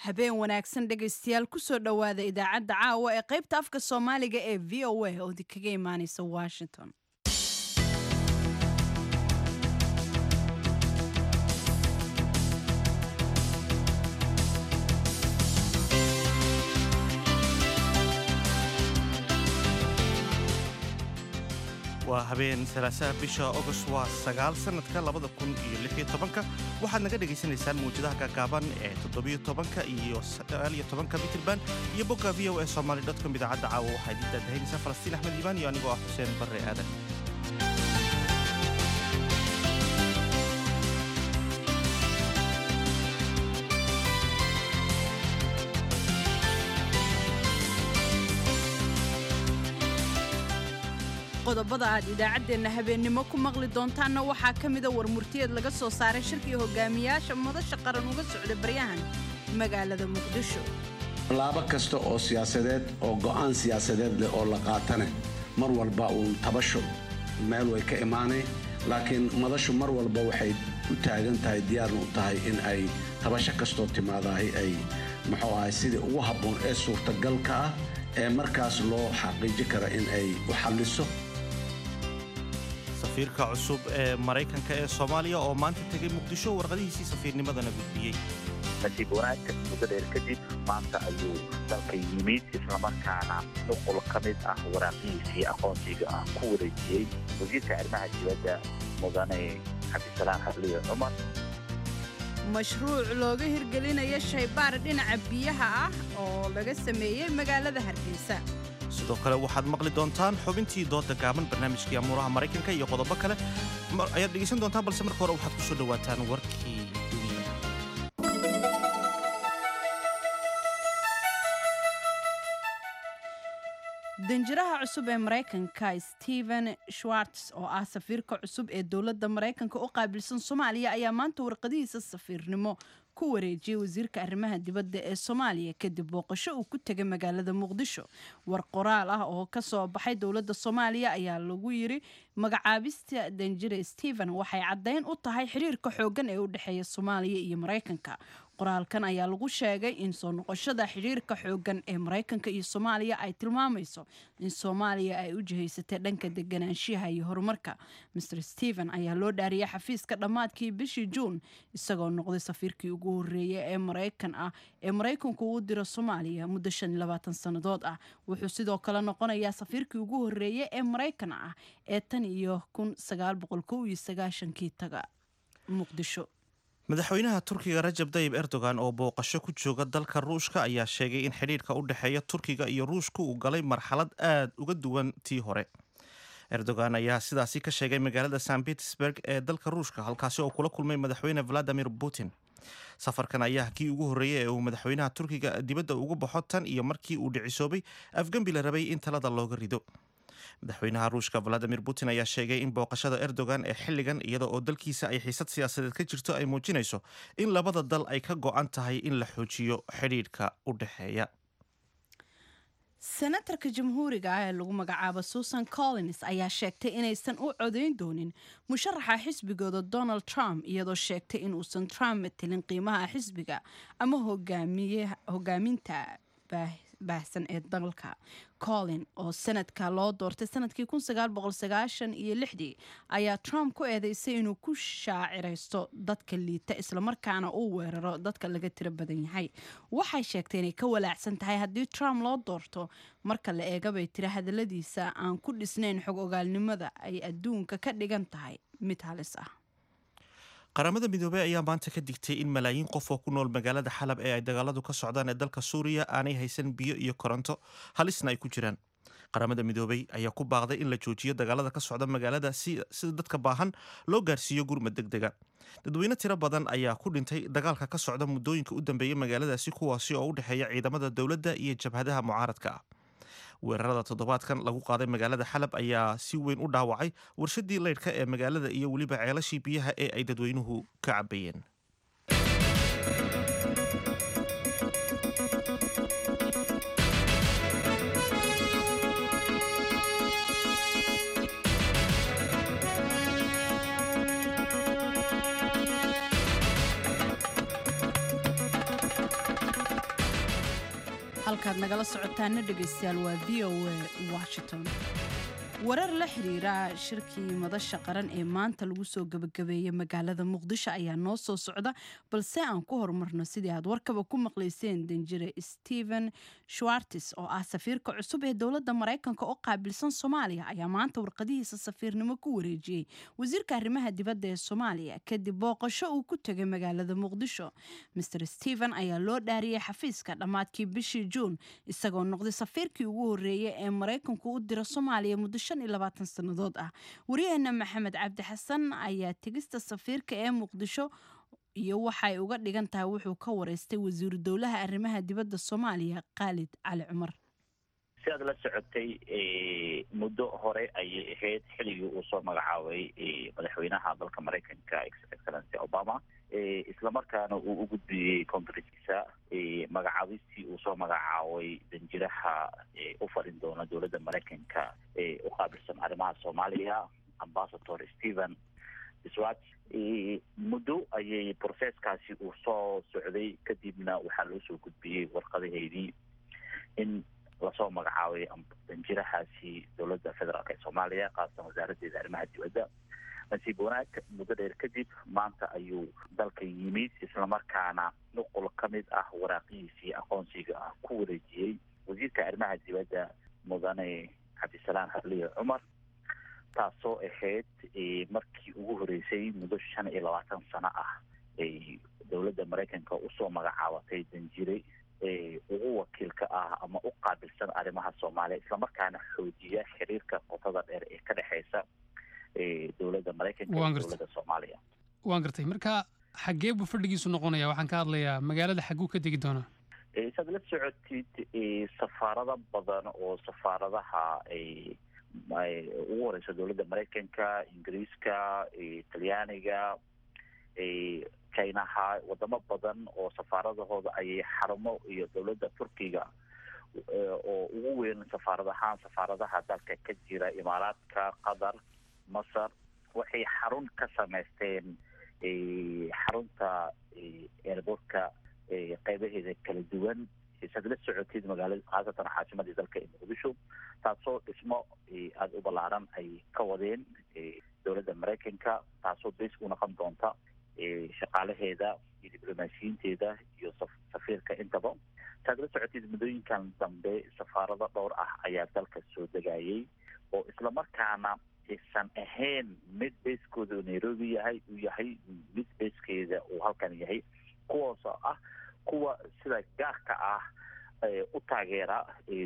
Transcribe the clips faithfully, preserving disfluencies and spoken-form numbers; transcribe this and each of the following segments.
Habeen wanaagsan dhegaystayaal, kusoo dhowaada idaacadda caawa ee qaybta afka Soomaaliga ee V O A oo idinkaga imaaneysa Washington. Waa habeen salaasaha, bisha Ogost waa sagaal, sanadka labada kun iyo lix iyo tobanka. Waxaad naga dhagaysanaysaan mawjadaha gaagaaban ee toddobiyo tobanka iyo sagaal iyo tobanka mitirban iyo bogga V O A Somali com. Idaacadda caawa waxaa idiin daadahaynaysaa Falastiin Axmed Iimaan iyo anigoo ah Xuseen Barre Aadan. Qodobada aad idaacaddeenna habeennimo ku maqli doontaanna waxaa ka mida war murtiyeed laga soo saaray shirkii hogaamiyaasha madasha qaran uga socda baryahan magaalada Muqdisho. Tallaabo kasta oo siyaasadeed oo go'aan siyaasadeed leh oo la qaatane, mar walba uun tabasho meel way ka imaanay, laakiin madashu mar walba waxay u taagan tahay, diyaarna u tahay in ay tabasho kastoo timaadahay ay muxuu ahay sidii ugu habboon ee suurtagalka ah ee markaas loo xaqiiji kara in ay u xalliso. Safiirka cusub ee Maraykanka ee Soomaaliya oo maanta tegay Muqdisho, warqadihiisii safiirnimadana gudbiyey. Nasiib wanaagka, muddo dheer kadib maanta ayuu dalka yimid, islamarkaana nuqul ka mid ah waraaqihiisii aqoonsiga ah ku wareejiyey wasiirka arrimaha dibadda, mudane Cabdisalaan Hadliye Cumar. Mashruuc looga hirgelinaya shaybaar dhinaca biyaha ah oo laga sameeyey magaalada Hargeysa. Sidoo kale waxaad maqli doontaan xubintii dooda gaaban, barnaamijkii amuuraha Maraykanka iyo qodobo kale ayaad dhegaysan doontaan, balse marka hore waxaad ku soo dhowaataan warkii dunida. Danjiraha cusub ee Maraykanka Stephen Schwartz, oo ah safiirka cusub ee dowladda Maraykanka u qaabilsan Soomaaliya, ayaa maanta warqadihiisa safiirnimo ku wareejiyey wasiirka arrimaha dibadda ee Soomaaliya kadib booqasho uu ku tegay magaalada Muqdisho. War qoraal ah oo kasoo baxay dowladda Soomaaliya ayaa lagu yiri: "Magacaabista danjire Stephen waxay caddayn u tahay xiriirka xoogan ee u dhexeeya Soomaaliya iyo Maraykanka." Qoraalkan ayaa lagu sheegay in soo noqoshada xiriirka xoogan ee Maraykanka iyo Soomaaliya ay tilmaamayso in Soomaaliya ay u jihaysatay dhanka deganaanshiyaha iyo horumarka. Mister Stephen ayaa loo dhaariyay xafiiska dhammaadkii bishii Juun, isagoo noqday safiirkii ugu horreeyay ee Maraykan ah ee Maraykanku uu diro Soomaaliya muddo shan iyo labaatan sannadood ah. Wuxuu sidoo kale noqonayaa safiirkii ugu horreeyay ee Maraykan ah ee tan iyo kun sagaal boqol kow iyo sagaashankii taga Muqdisho. Madaxweynaha Turkiga Rajab Dayib Erdogan oo booqasho ku jooga dalka Ruushka ayaa sheegay in xidhiidhka u dhexeeya Turkiga iyo Ruushka uu galay marxalad aad uga duwan tii hore. Erdogan ayaa sidaasi ka sheegay magaalada Saint Petersburg ee dalka Ruushka, halkaasi oo kula kulmay madaxweyne Vladimir Putin. Safarkan ayaa kii ugu horreeyay ee uu madaxweynaha Turkiga dibadda ugu baxo tan iyo markii uu dhicisoobay afgembi la rabay in talada looga rido. Madaxweynaha Ruushka Vladimir Putin ayaa sheegay in booqashada Erdogan ee xilligan, iyada oo dalkiisa ay xiisad siyaasadeed ka jirto, ay muujinayso in labada dal ay ka go'an tahay in la xoojiyo xidhiidhka u dhexeeya. Senatarka Jamhuuriga ah ee lagu magacaabo Susan Collins ayaa sheegtay inaysan u codayn doonin musharaxa xisbigooda Donald Trump, iyadoo sheegtay in uusan Trump matelin qiimaha xisbiga ama hogaaminta baahsan ee dalka. Collins oo sanadka loo doortay sanadkii iyo lixdii ayaa Trump ku eedeysay inuu ku shaaciraysto dadka liita, islamarkaana uu weeraro dadka laga tiro badan yahay. Waxay sheegtay inay ka walaacsan tahay haddii Trump loo doorto, marka la eegabay tiri hadaladiisa aan ku dhisnayn xog ogaalnimada ay adduunka ka dhigan tahay mid halis ah. Qaramada Midoobey ayaa maanta ka digtay in malaayiin qof oo ku nool magaalada Xalab ee ay dagaaladu ka socdaan ee dalka Suuriya aanay haysan biyo iyo koronto, halisna ay ku jiraan. Qaramada Midoobey ayaa ku baaqday in la joojiyo dagaalada ka socda magaalada si sida dadka baahan loo gaarsiiyo gurmad deg dega. Dadweyne tiro badan ayaa ku dhintay dagaalka ka socda muddooyinka u dambeeyay magaaladaasi, kuwaasi oo u dhexeeya ciidamada dowladda iyo jabhadaha mucaaradka ah. Weerarada toddobaadkan lagu qaaday magaalada Xalab ayaa si weyn u dhaawacay warshadii leydhka ee magaalada iyo weliba ceelashii biyaha ee ay dadweynuhu ka cabayeen. Halkaad nagala socotaana, dhegaystayaal, waa V O A Washington. Warar la xiriira shirkii Madasha Qaran ee maanta lagu soo gabagabeeyey magaalada Muqdisho ayaa noo soo socda, balse aan ku horumarno sidii aad warkaba ku maqlayseen, danjire Stephen Schwartz oo ah safiirka cusub ee dowladda Mareykanka oo qaabilsan Soomaaliya ayaa maanta warqadihiisa safiirnimo ku wareejiyey wasiirka arrimaha dibadda ee Soomaaliya kadib booqasho uu ku tegay magaalada Muqdisho. Mister Stephen ayaa loo dhaariyey xafiiska dhammaadkii bishii Juun, isagoo noqday safiirkii ugu horreeyey ee Maraykanku u dira Soomaaliya muddo shan iyo labaatan sannadood ah. Wariyaheena Maxamed Cabdi Xasan ayaa tegista safiirka ee Muqdisho iyo waxay uga dhigan tahay wuxuu ka wareystay wasiiru dowlaha arrimaha dibadda Soomaaliya, Khaalid Cali Cumar. Si aad la socotay, muddo hore ayay ahayd xilligii uu soo magacaabay madaxweynaha dalka Maraykanka, Excellency Obama, islamarkaana uu u gudbiyey Congresskiisa magacaabistii uu soo magacaabay danjiraha u farin doona dowladda Maraykanka ee u qaabilsan arrimaha Soomaaliya, Ambassador Stephen Schwartz. Muddo ayay processkaasi uu soo socday, kadibna waxaa loo soo gudbiyey warqadaheydii in lasoo magacaabay danjirahaasi dowladda federaalk ee Soomaaliya, qaasatan wasaaraddeeda arrimaha dibadda. Nasiib wanaag, muddo dheer kadib maanta ayuu dalka yimid, islamarkaana nuqul ka mid ah waraaqihiisii aqoonsiga ah ku wareejiyey wasiirka arrimaha dibadda, mudane Cabdisalaan Hadliye Cumar, taasoo ahayd markii ugu horeysay muddo shan iyo labaatan sano ah ay dowladda Maraykanka usoo magacaabatay danjire ugu wakiilka ah ama u qaabilsan arrimaha Soomaaliya, islamarkaana xoojiya xiriirka qotada dheer ee ka dhexeysa dowladda Maraykanka iyo dowladda Soomaaliya. Waan gartay. Marka xaggee buu fadhigiisu noqonaya? Waxaan ka hadlayaa magaalada, xagguu ka degi doonaa? Saad la socotid, safaarado badan oo safaaradaha ugu horeysa dowladda Maraykanka, Ingiriiska, Talyaaniga, Chinaha, wadamo badan oo safaaradahooda ayay xarumo iyo dowladda Turkiga oo ugu weyn safaarad ahaan safaaradaha dalka ka jira, Imaaraadka, Qatar, Masar, waxay xarun ka samaysteen xarunta airportka qeybaheeda kala duwan, saad la socotid, magaalada, khaasatan caasimadii dalka ee Muqdisho, taasoo dhismo aada u ballaaran ay ka wadeen dowladda Maraykanka, taasoo base u noqon doonta shaqaalaheeda iyo diblomaasiyiinteeda iyo safiirka intaba. Saad la socotid, muddooyinkan dambe safaarado dhowr ah ayaa dalka soo degayay oo islamarkaana aysan ahayn mid basekooda Nairobi yahay, uu yahay mid basekeeda uu halkan yahay, kuwaasoo ah kuwa sida gaarka ah u taageera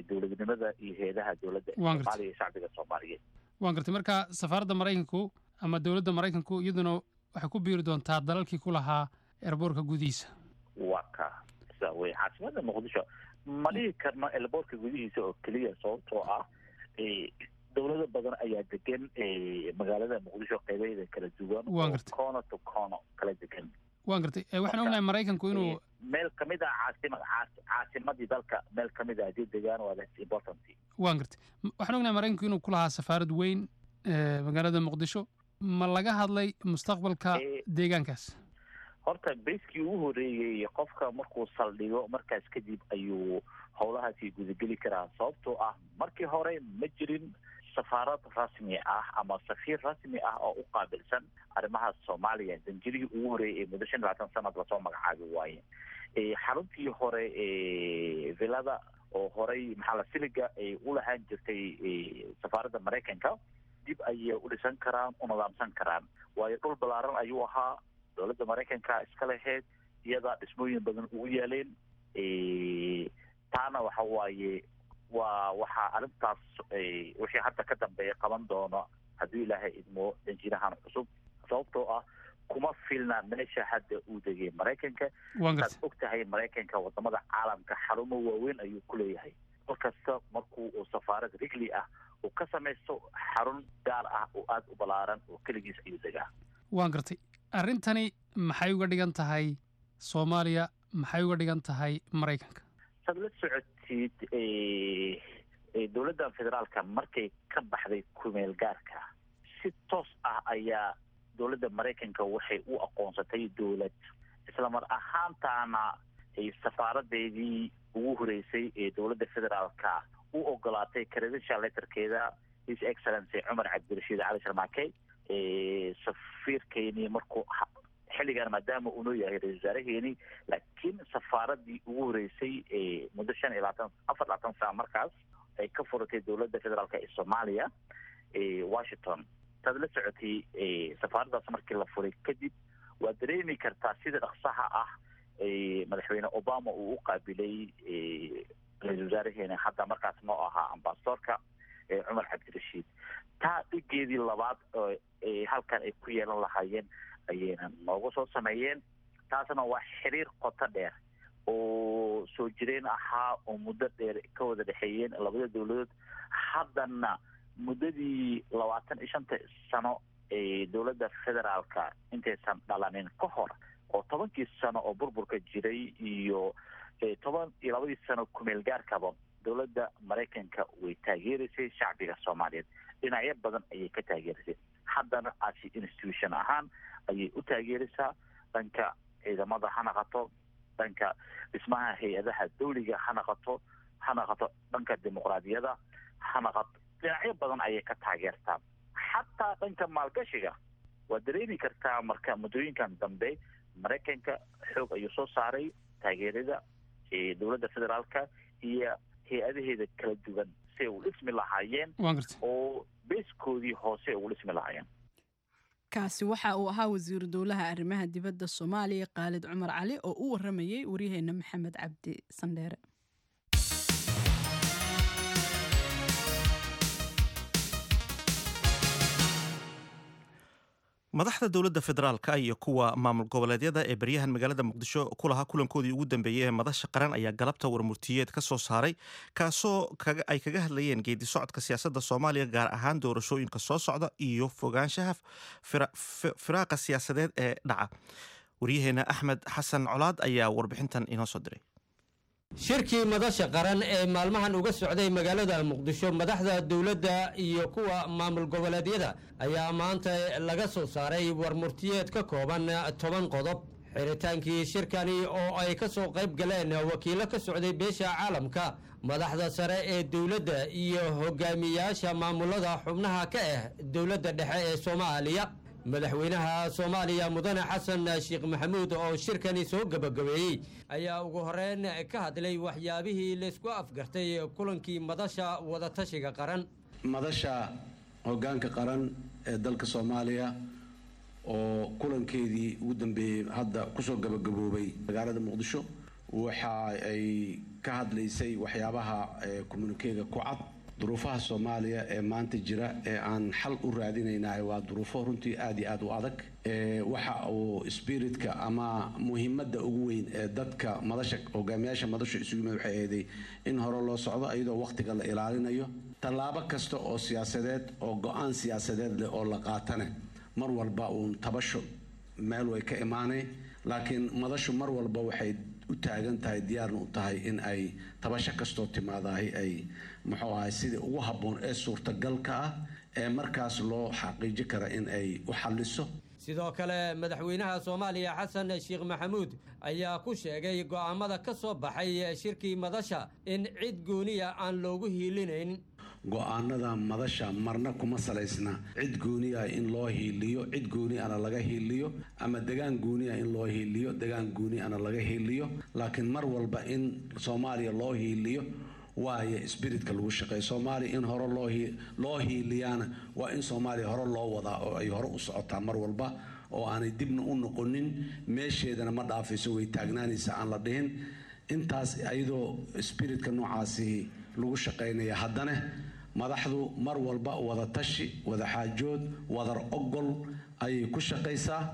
dowladnimada iyo heedaha dowladda Soomaaliya iyo shacbiga Soomaaliyeed. Waan gartay. Marka safaaradda Maraykanku ama dowladda Maraykanku iyaduna waxay ku biiri doontaa dalalkii ku lahaa airportka gudihiisa. Waa ka sida wey caasimada Muqdisho. Ma dhihi karno airportka gudihiisa oo keliya, sababtoo ah dowlado badan ayaa degan magaalada Muqdisho qeybaheeda kala duwan, oo corner to corner kala degan. Waan gartay. Waxaan ognahay Maraykanku inuu Meel kamid ah caasima caasimadii dalka, meel kamid ah haddii degaan, waa that's important. Waan gartay. Waxaan ognahay Maraykanku inuu ku lahaa safaarad weyn magaalada Muqdisho. Ma laga hadlay mustaqbalka deegaankaas? Horta basekii ugu horeeyey qofka markuu saldhigo, markaas kadib ayuu howlahaasi gudageli karaa, sababtoo ah markii hore ma jirin safaarad rasmi ah ama safiir rasmi ah oo u qaabilsan arrimaha Soomaaliya. Danjirihii ugu horeeyay ee muddo shan iyo labaatan sanad lasoo magacaabi waaye. Xaruntii hore villada oo horey maxaa la siliga ay u lahaan jirtay safaaradda Maraykanka dib ayay u dhisan karaan, u nidaamsan karaan, waayo dhul ballaaran ayuu ahaa, dowladda Maraykanka iska lahayd, iyadaa dhismooyin badan ugu yaaleen. Taana waxa waaye waa waxaa arrintaas wixii hadda ka dambeeya qaban doono, haddii Ilaahay idmo, danjirahan cusub, sababtoo ah kuma filna meesha hadda uu degay Maraykanka. Saad og tahay, Maraykanka wadamada caalamka xarumo waaweyn ayuu ku leeyahay. Dal kasta markuu uu safaarad rigli ah uu ka samaysto xarun gaar ah oo aada u ballaaran oo keligiis ayuu degaa. Waan gartay. Arrintani maxay uga dhigan tahay Soomaaliya? Maxay uga dhigan tahay Maraykanka? Saad la socotid, dowladda federaalka markay ka baxday kumeel gaarka, si toos ah ayaa dowladda Maraykanka waxay u aqoonsatay dowlad, isla mar ahaantaana safaaradeedii ugu horeysay ee dowladda federaalka u ogolaatay credential letterkeeda His Excellency Cumar Cabdirashiid Cali Sharmaake. Safiirkeeni markuu xilligan maadaama uu noo yahay ra-isul wasaaraheeni, laakiin safaaradii ugu horeysay ee muddo shan iyo labaatan afar labaatan sano markaas ay ka furatay dowladda federaalka ee Soomaaliya Washington, taad la socotay safaaraddaas markii la furay kadib waad dareemi kartaa sida dhaqsaha ah madaxweyne Obama uu u qaabilay ra-isul wasaaraheena hadda markaas noo ahaa ambasadorka Cumar Cabdirashiid. Taa dhigeedii labaad halkan ay ku yeelan lahaayeen ayayna nooga soo sameeyeen. Taasna waa xiriir qoto dheer oo soo jireen ahaa oo muddo dheer ka wada dhexeeyeen labada dowladood. Haddana muddadii labaatan iyo shanta sano ee dowladda federaalka intaysan dhalanin ka hor, oo tobankii sano oo burburka jiray iyo toban iyo labadii sano kumeel gaarkaba, dowladda Maraykanka way taageeraysay shacbiga Soomaaliyeed, dhinacyo badan ayay ka taageeraysay. Haddana asi institution ahaan ayay u taageeraysaa, dhanka ciidamada ha naqato, dhanka dhismaha hay-adaha dawliga ha naqato, ha naqato dhanka dimuqraadiyada ha naqato, dhinacyo badan ayay ka taageertaa, xataa dhanka maalgashiga waad dareemi kartaa. Marka muddooyinkan dambe Maraykanka xoog ayuu soo saaray taageerada dowladda federaalka iyo hay-adaheeda kala duwan si ay u dhismi lahaayeen oo beeskoodii hoose ugu dhismi lahaayeen. Kaasi waxa uu ahaa wasiiru dowlaha arrimaha dibadda Soomaaliya Qaalid Cumar Cali oo u waramayey waryaheena Maxamed Cabdi Sandheere. Madaxda dowladda federaalka iyo kuwa maamul goboleedyada ee baryahan magaalada Muqdisho ku lahaa kulankoodii ugu dambeeyey ee madasha qaran ayaa galabta warmurtiyeed ka soo saaray, kaasoo ay kaga hadlayeen geedi socodka siyaasadda Soomaaliya, gaar ahaan doorashooyinka soo socda iyo fogaanshaha firaaqa siyaasadeed ee dhaca. Waryaheena Axmed Xasan Colaad ayaa warbixintan inoo soo diray. Shirkii madasha qaran ee maalmahan uga socday magaalada Muqdisho madaxda dowladda iyo kuwa maamul goboleedyada ayaa maanta laga soo saaray warmurtiyeed ka kooban toban qodob. Xiritaankii shirkani oo ay ka soo qayb galeen wakiillo ka socday beesha caalamka, madaxda sare ee dowladda iyo hogaamiyaasha maamulada xubnaha ka ah dowladda dhexe ee Soomaaliya, madaxweynaha Soomaaliya mudane Xasan Sheekh Maxamuud oo shirkani soo gebagabeeyey ayaa ugu horeyn ka hadlay waxyaabihii laysku afgartay kulankii madasha wadatashiga qaran. Madasha hoggaanka qaran ee dalka Soomaaliya oo kulankeedii ugu dambeeyey hadda kusoo gabagaboobay magaalada Muqdisho waxa ay ka hadlaysay waxyaabaha communikeega ku cad. Duruufaha Soomaaliya ee maanta jira ee aan xal u raadinaynahay waa duruufo runtii aada iyo aada u adag. Waxa uu spiritka ama muhiimadda ugu weyn ee dadka madasha hogaamiyaasha madashu isugu yimid waxay ahayd in hore loo socdo iyadoo waqtiga la ilaalinayo. Tallaabo kasta oo siyaasadeed oo go-aan siyaasadeed leh oo la qaatane mar walba uun tabasho meel way ka imaanay, laakiin madashu mar walba waxay u taagan tahay, diyaarna u tahay in ay tabasho kastoo timaadahay ay muxuu ahay sidii ugu habboon ee suurtagalka ah ee markaas loo xaqiiji kara in ay u xalliso. Sidoo kale madaxweynaha Soomaaliya Xasan Sheekh Maxamuud ayaa ku sheegay go'aamada ka soo baxay shirkii madasha in cid gooniya aan loogu hiilinayn. Go-aanada madasha marna kuma salaysna cid gooni ah in loo hiiliyo, cid gooni ana laga hiiliyo, ama degaan gooni ah in loo hiiliyo, degaan gooni ana laga hiiliyo, laakiin mar walba in Soomaaliya loo hiiliyo waayo spiritka lagu shaqeeyo. Soomaaliya in hore loo loo hiiliyaana waa in Soomaaliya hore loo wadaa oo ay hore u socotaa mar walba oo aanay dibna u noqonin, meesheedana ma dhaafayso, way taagnaanaysa aan la dhihin. Intaas iyadoo spiritka noocaasi lagu shaqaynaya, haddana madaxdu mar walba wada tashi, wada xaajood, wadar ogol ayay ku shaqaysaa.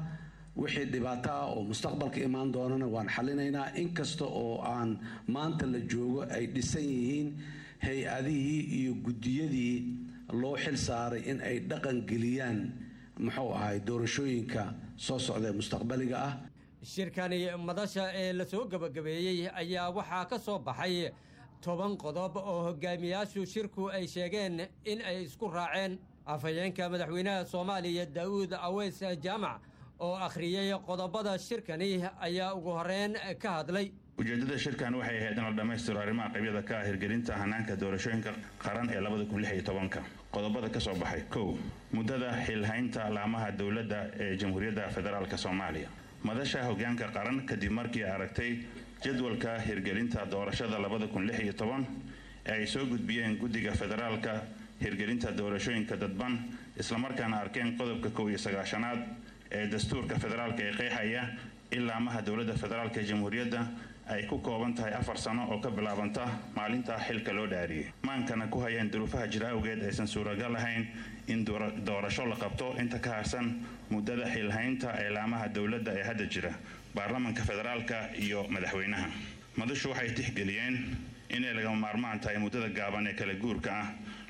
Wixii dhibaato ah oo mustaqbalka imaan doonana waan xalinaynaa, inkasta oo aan maanta la joogo ay dhisan yihiin hay-adihii iyo guddiyadii loo xil saaray in ay dhaqan geliyaan muxuu ahay doorashooyinka soo socda ee mustaqbaliga ah. Shirkani madasha ee la soo gebagabeeyey ayaa waxaa ka soo baxay toban qodob oo hogaamiyaashu shirku ay sheegeen in ay isku raaceen. Afhayeenka madaxweynaha Soomaaliya Daa'uud Aweys Jaamac oo akhriyey qodobada shirkani ayaa ugu horeyn ka hadlay. Ujeedada shirkan waxay ahayd in la dhammaystiro arrimaha qabyada ka ah hirgelinta hanaanka doorashooyinka qaran ee labada kun lix iyo tobanka. Qodobada ka soo baxay: kow, muddada xilhaynta laamaha dowladda ee Jamhuuriyadda Federaalka Soomaaliya. Madasha hogaanka qaran, kadib markii aragtay jadwalka hirgelinta doorashada labada kun lix iyo toban ee ay soo gudbiyeen guddiga federaalka hirgelinta doorashooyinka dadban, islamarkaana arkeen qodobka kow iyo sagaashanaad ee dastuurka federaalka ee qeexaya in laamaha dowladda federaalka ee jamhuuriyadda ay ku kooban tahay afar sano oo ka bilaabanta maalinta xilka loo dhaariyey, maankana ku hayeen duruufaha jira awgeed aysan suuragal ahayn in doorasho la qabto inta ka harsan muddada xilhaynta ee laamaha dowladda ee hadda jira, baarlamanka federaalka iyo madaxweynaha. Madashu waxay tixgeliyeen inay lagama maarmaan tahay muddada gaaban ee kala guurka ah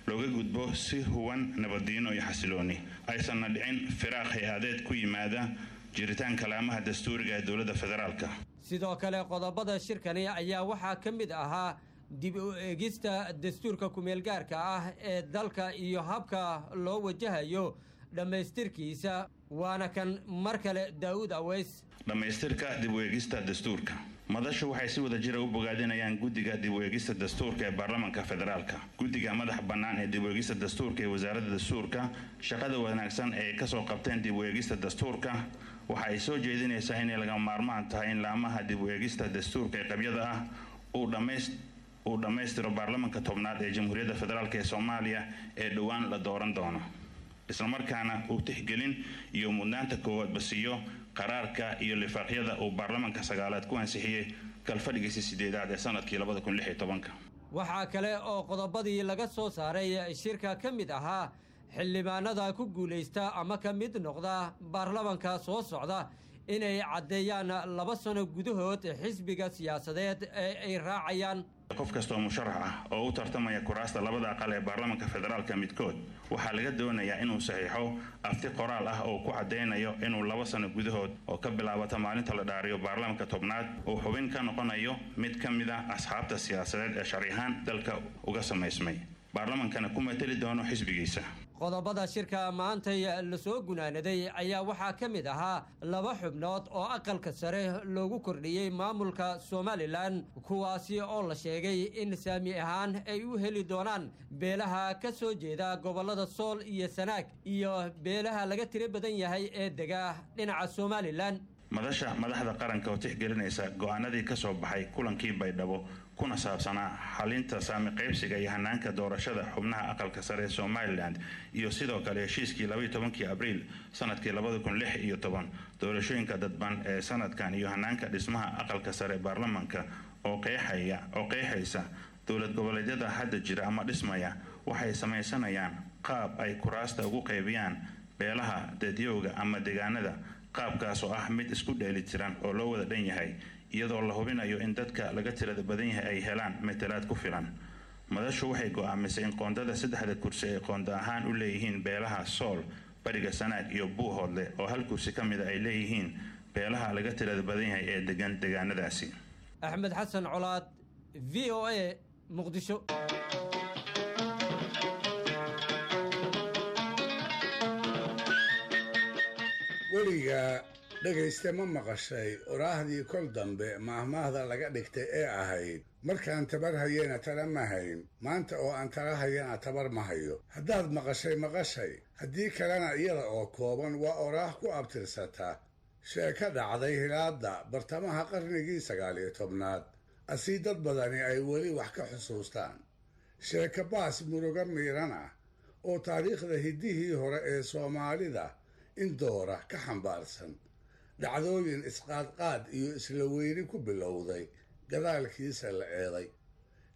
looga gudbo si huwan nabadiino iyo xasilooni, aysanna dhicin firaaq hay-adeed ku yimaada jiritaanka laamaha dastuuriga ee dowladda federaalka. Sidoo kale qodobada shirkani ayaa waxaa ka mid ahaa dib u eegista dastuurka kumeelgaarka ah ee dalka iyo habka loo wajahayo dhammaystirkiisa. Waana kan mar kale Daa'uud Aweys. Dhammaystirka dib u eegista dastuurka. Madashu waxay si wada jira u bogaadinayaan guddiga dib u eegista dastuurka ee baarlamanka federaalka, guddiga madax bannaan ee dib u eegista dastuurka ee wasaaradda dastuurka shaqada wanaagsan ee kasoo qabteen dib u eegista dastuurka. Waxa ay soo jeedinaysaa inay lagama maarmaan tahay in laamaha dib u eegista dastuurka ee qabyada ah uu dhammays uu dhammaystiro baarlamanka tobnaad ee Jamhuuriyadda Federaalk ee Soomaaliya ee dhowaan la dooran doono, islamarkaana uu tixgelin iyo mudnaanta koowaadba siiyo qaraarka iyo lifaaqyada uu baarlamanka sagaalaad ku ansixiyey kalfadhigiisa sideedaad ee sanadkii labada kun lix iyo tobanka. Waxaa kale oo qodobadii laga soo saaray shirka ka mid ahaa xildhibaanada ku guulaysta ama ka mid noqda baarlamanka soo socda inay caddeeyaan laba sano gudahood xisbiga siyaasadeed ee ay raacayaan. Qof kasta oo musharax ah oo u tartamaya kuraasta labada aqal ee baarlamanka federaalka midkood waxaa laga doonayaa inuu saxiixo afti qoraal ah oo ku caddaynayo inuu laba sano gudahood oo ka bilaabata maalinta la dhaariyo baarlamanka tobnaad uu xubin ka noqonayo mid ka mid ah asxaabta siyaasadeed ee sharci ahaan dalka uga samaysmay, baarlamankana ku mateli doono xisbigiisa. Qodobada shirka maantay lasoo gunaanaday ayaa waxaa ka mid ahaa laba xubnood oo aqalka sare loogu kordhiyey maamulka Somalilan, kuwaasi oo la sheegay in saami ahaan ay u heli doonaan beelaha ka soo jeeda gobollada Sool iyo Sanaag iyo beelaha laga tiro badan yahay ee dega dhinaca Somalilan. Madasha madaxda qaranka oo tixgelinaysa go'aanadii ka soo baxay kulankii Baydhabo kuna saabsanaa xalinta saami qaybsiga iyo hanaanka doorashada xubnaha aqalka sare ee Somalilan, iyo sidoo kale heshiiskii labaiyo tobankii Abriil sanadkii labada kun lix iyo toban doorashooyinka dadban ee sanadkan iyo hanaanka dhismaha aqalka sare ee baarlamanka oo qeexaya oo qeexaysa dowlad goboleedyada hadda jira ama dhismaya waxay samaysanayaan qaab ay kuraasta ugu qaybiyaan beelaha dadyowga ama deegaanada, qaabkaas oo ah mid isku dheelitiran oo loo wada dhan yahay, iyadoo la hubinayo in dadka laga tirada badan yahay ay helaan matalaad ku filan. Madashu waxay go'aamisay in qoondada saddexda kursi ay qoonda ahaan u leeyihiin beelaha Sool, Bariga Sanaag iyo Buuhoodle, oo hal kursi ka mida ay leeyihiin beelaha laga tirada badan yahay ee degan deegaanadaasi. Axmed Xasan Colaad, V O A, Muqdisho. Weligaa dhegayste ma maqashay oraahdii kol dambe maahmaahda laga dhigtay ee ahayd markaan tabar hayena tala ma hayn, maanta oo aan tala hayana tabar ma hayo? Haddaad maqashay maqashay, haddii kalena iyada oo kooban waa oraah ku abtirsata sheeko dhacday hilaadda bartamaha qarnigii sagaal iyo tobnaad, asii dad badani ay weli wax ka xusuustaan. Sheeko baas murugo miiran ah oo taariikhda hiddihii hore ee Soomaalida in doora ka xambaarsan, dhacdooyin isqaadqaad iyo isla weyni ku bilowday gadaalkiisa la eeday,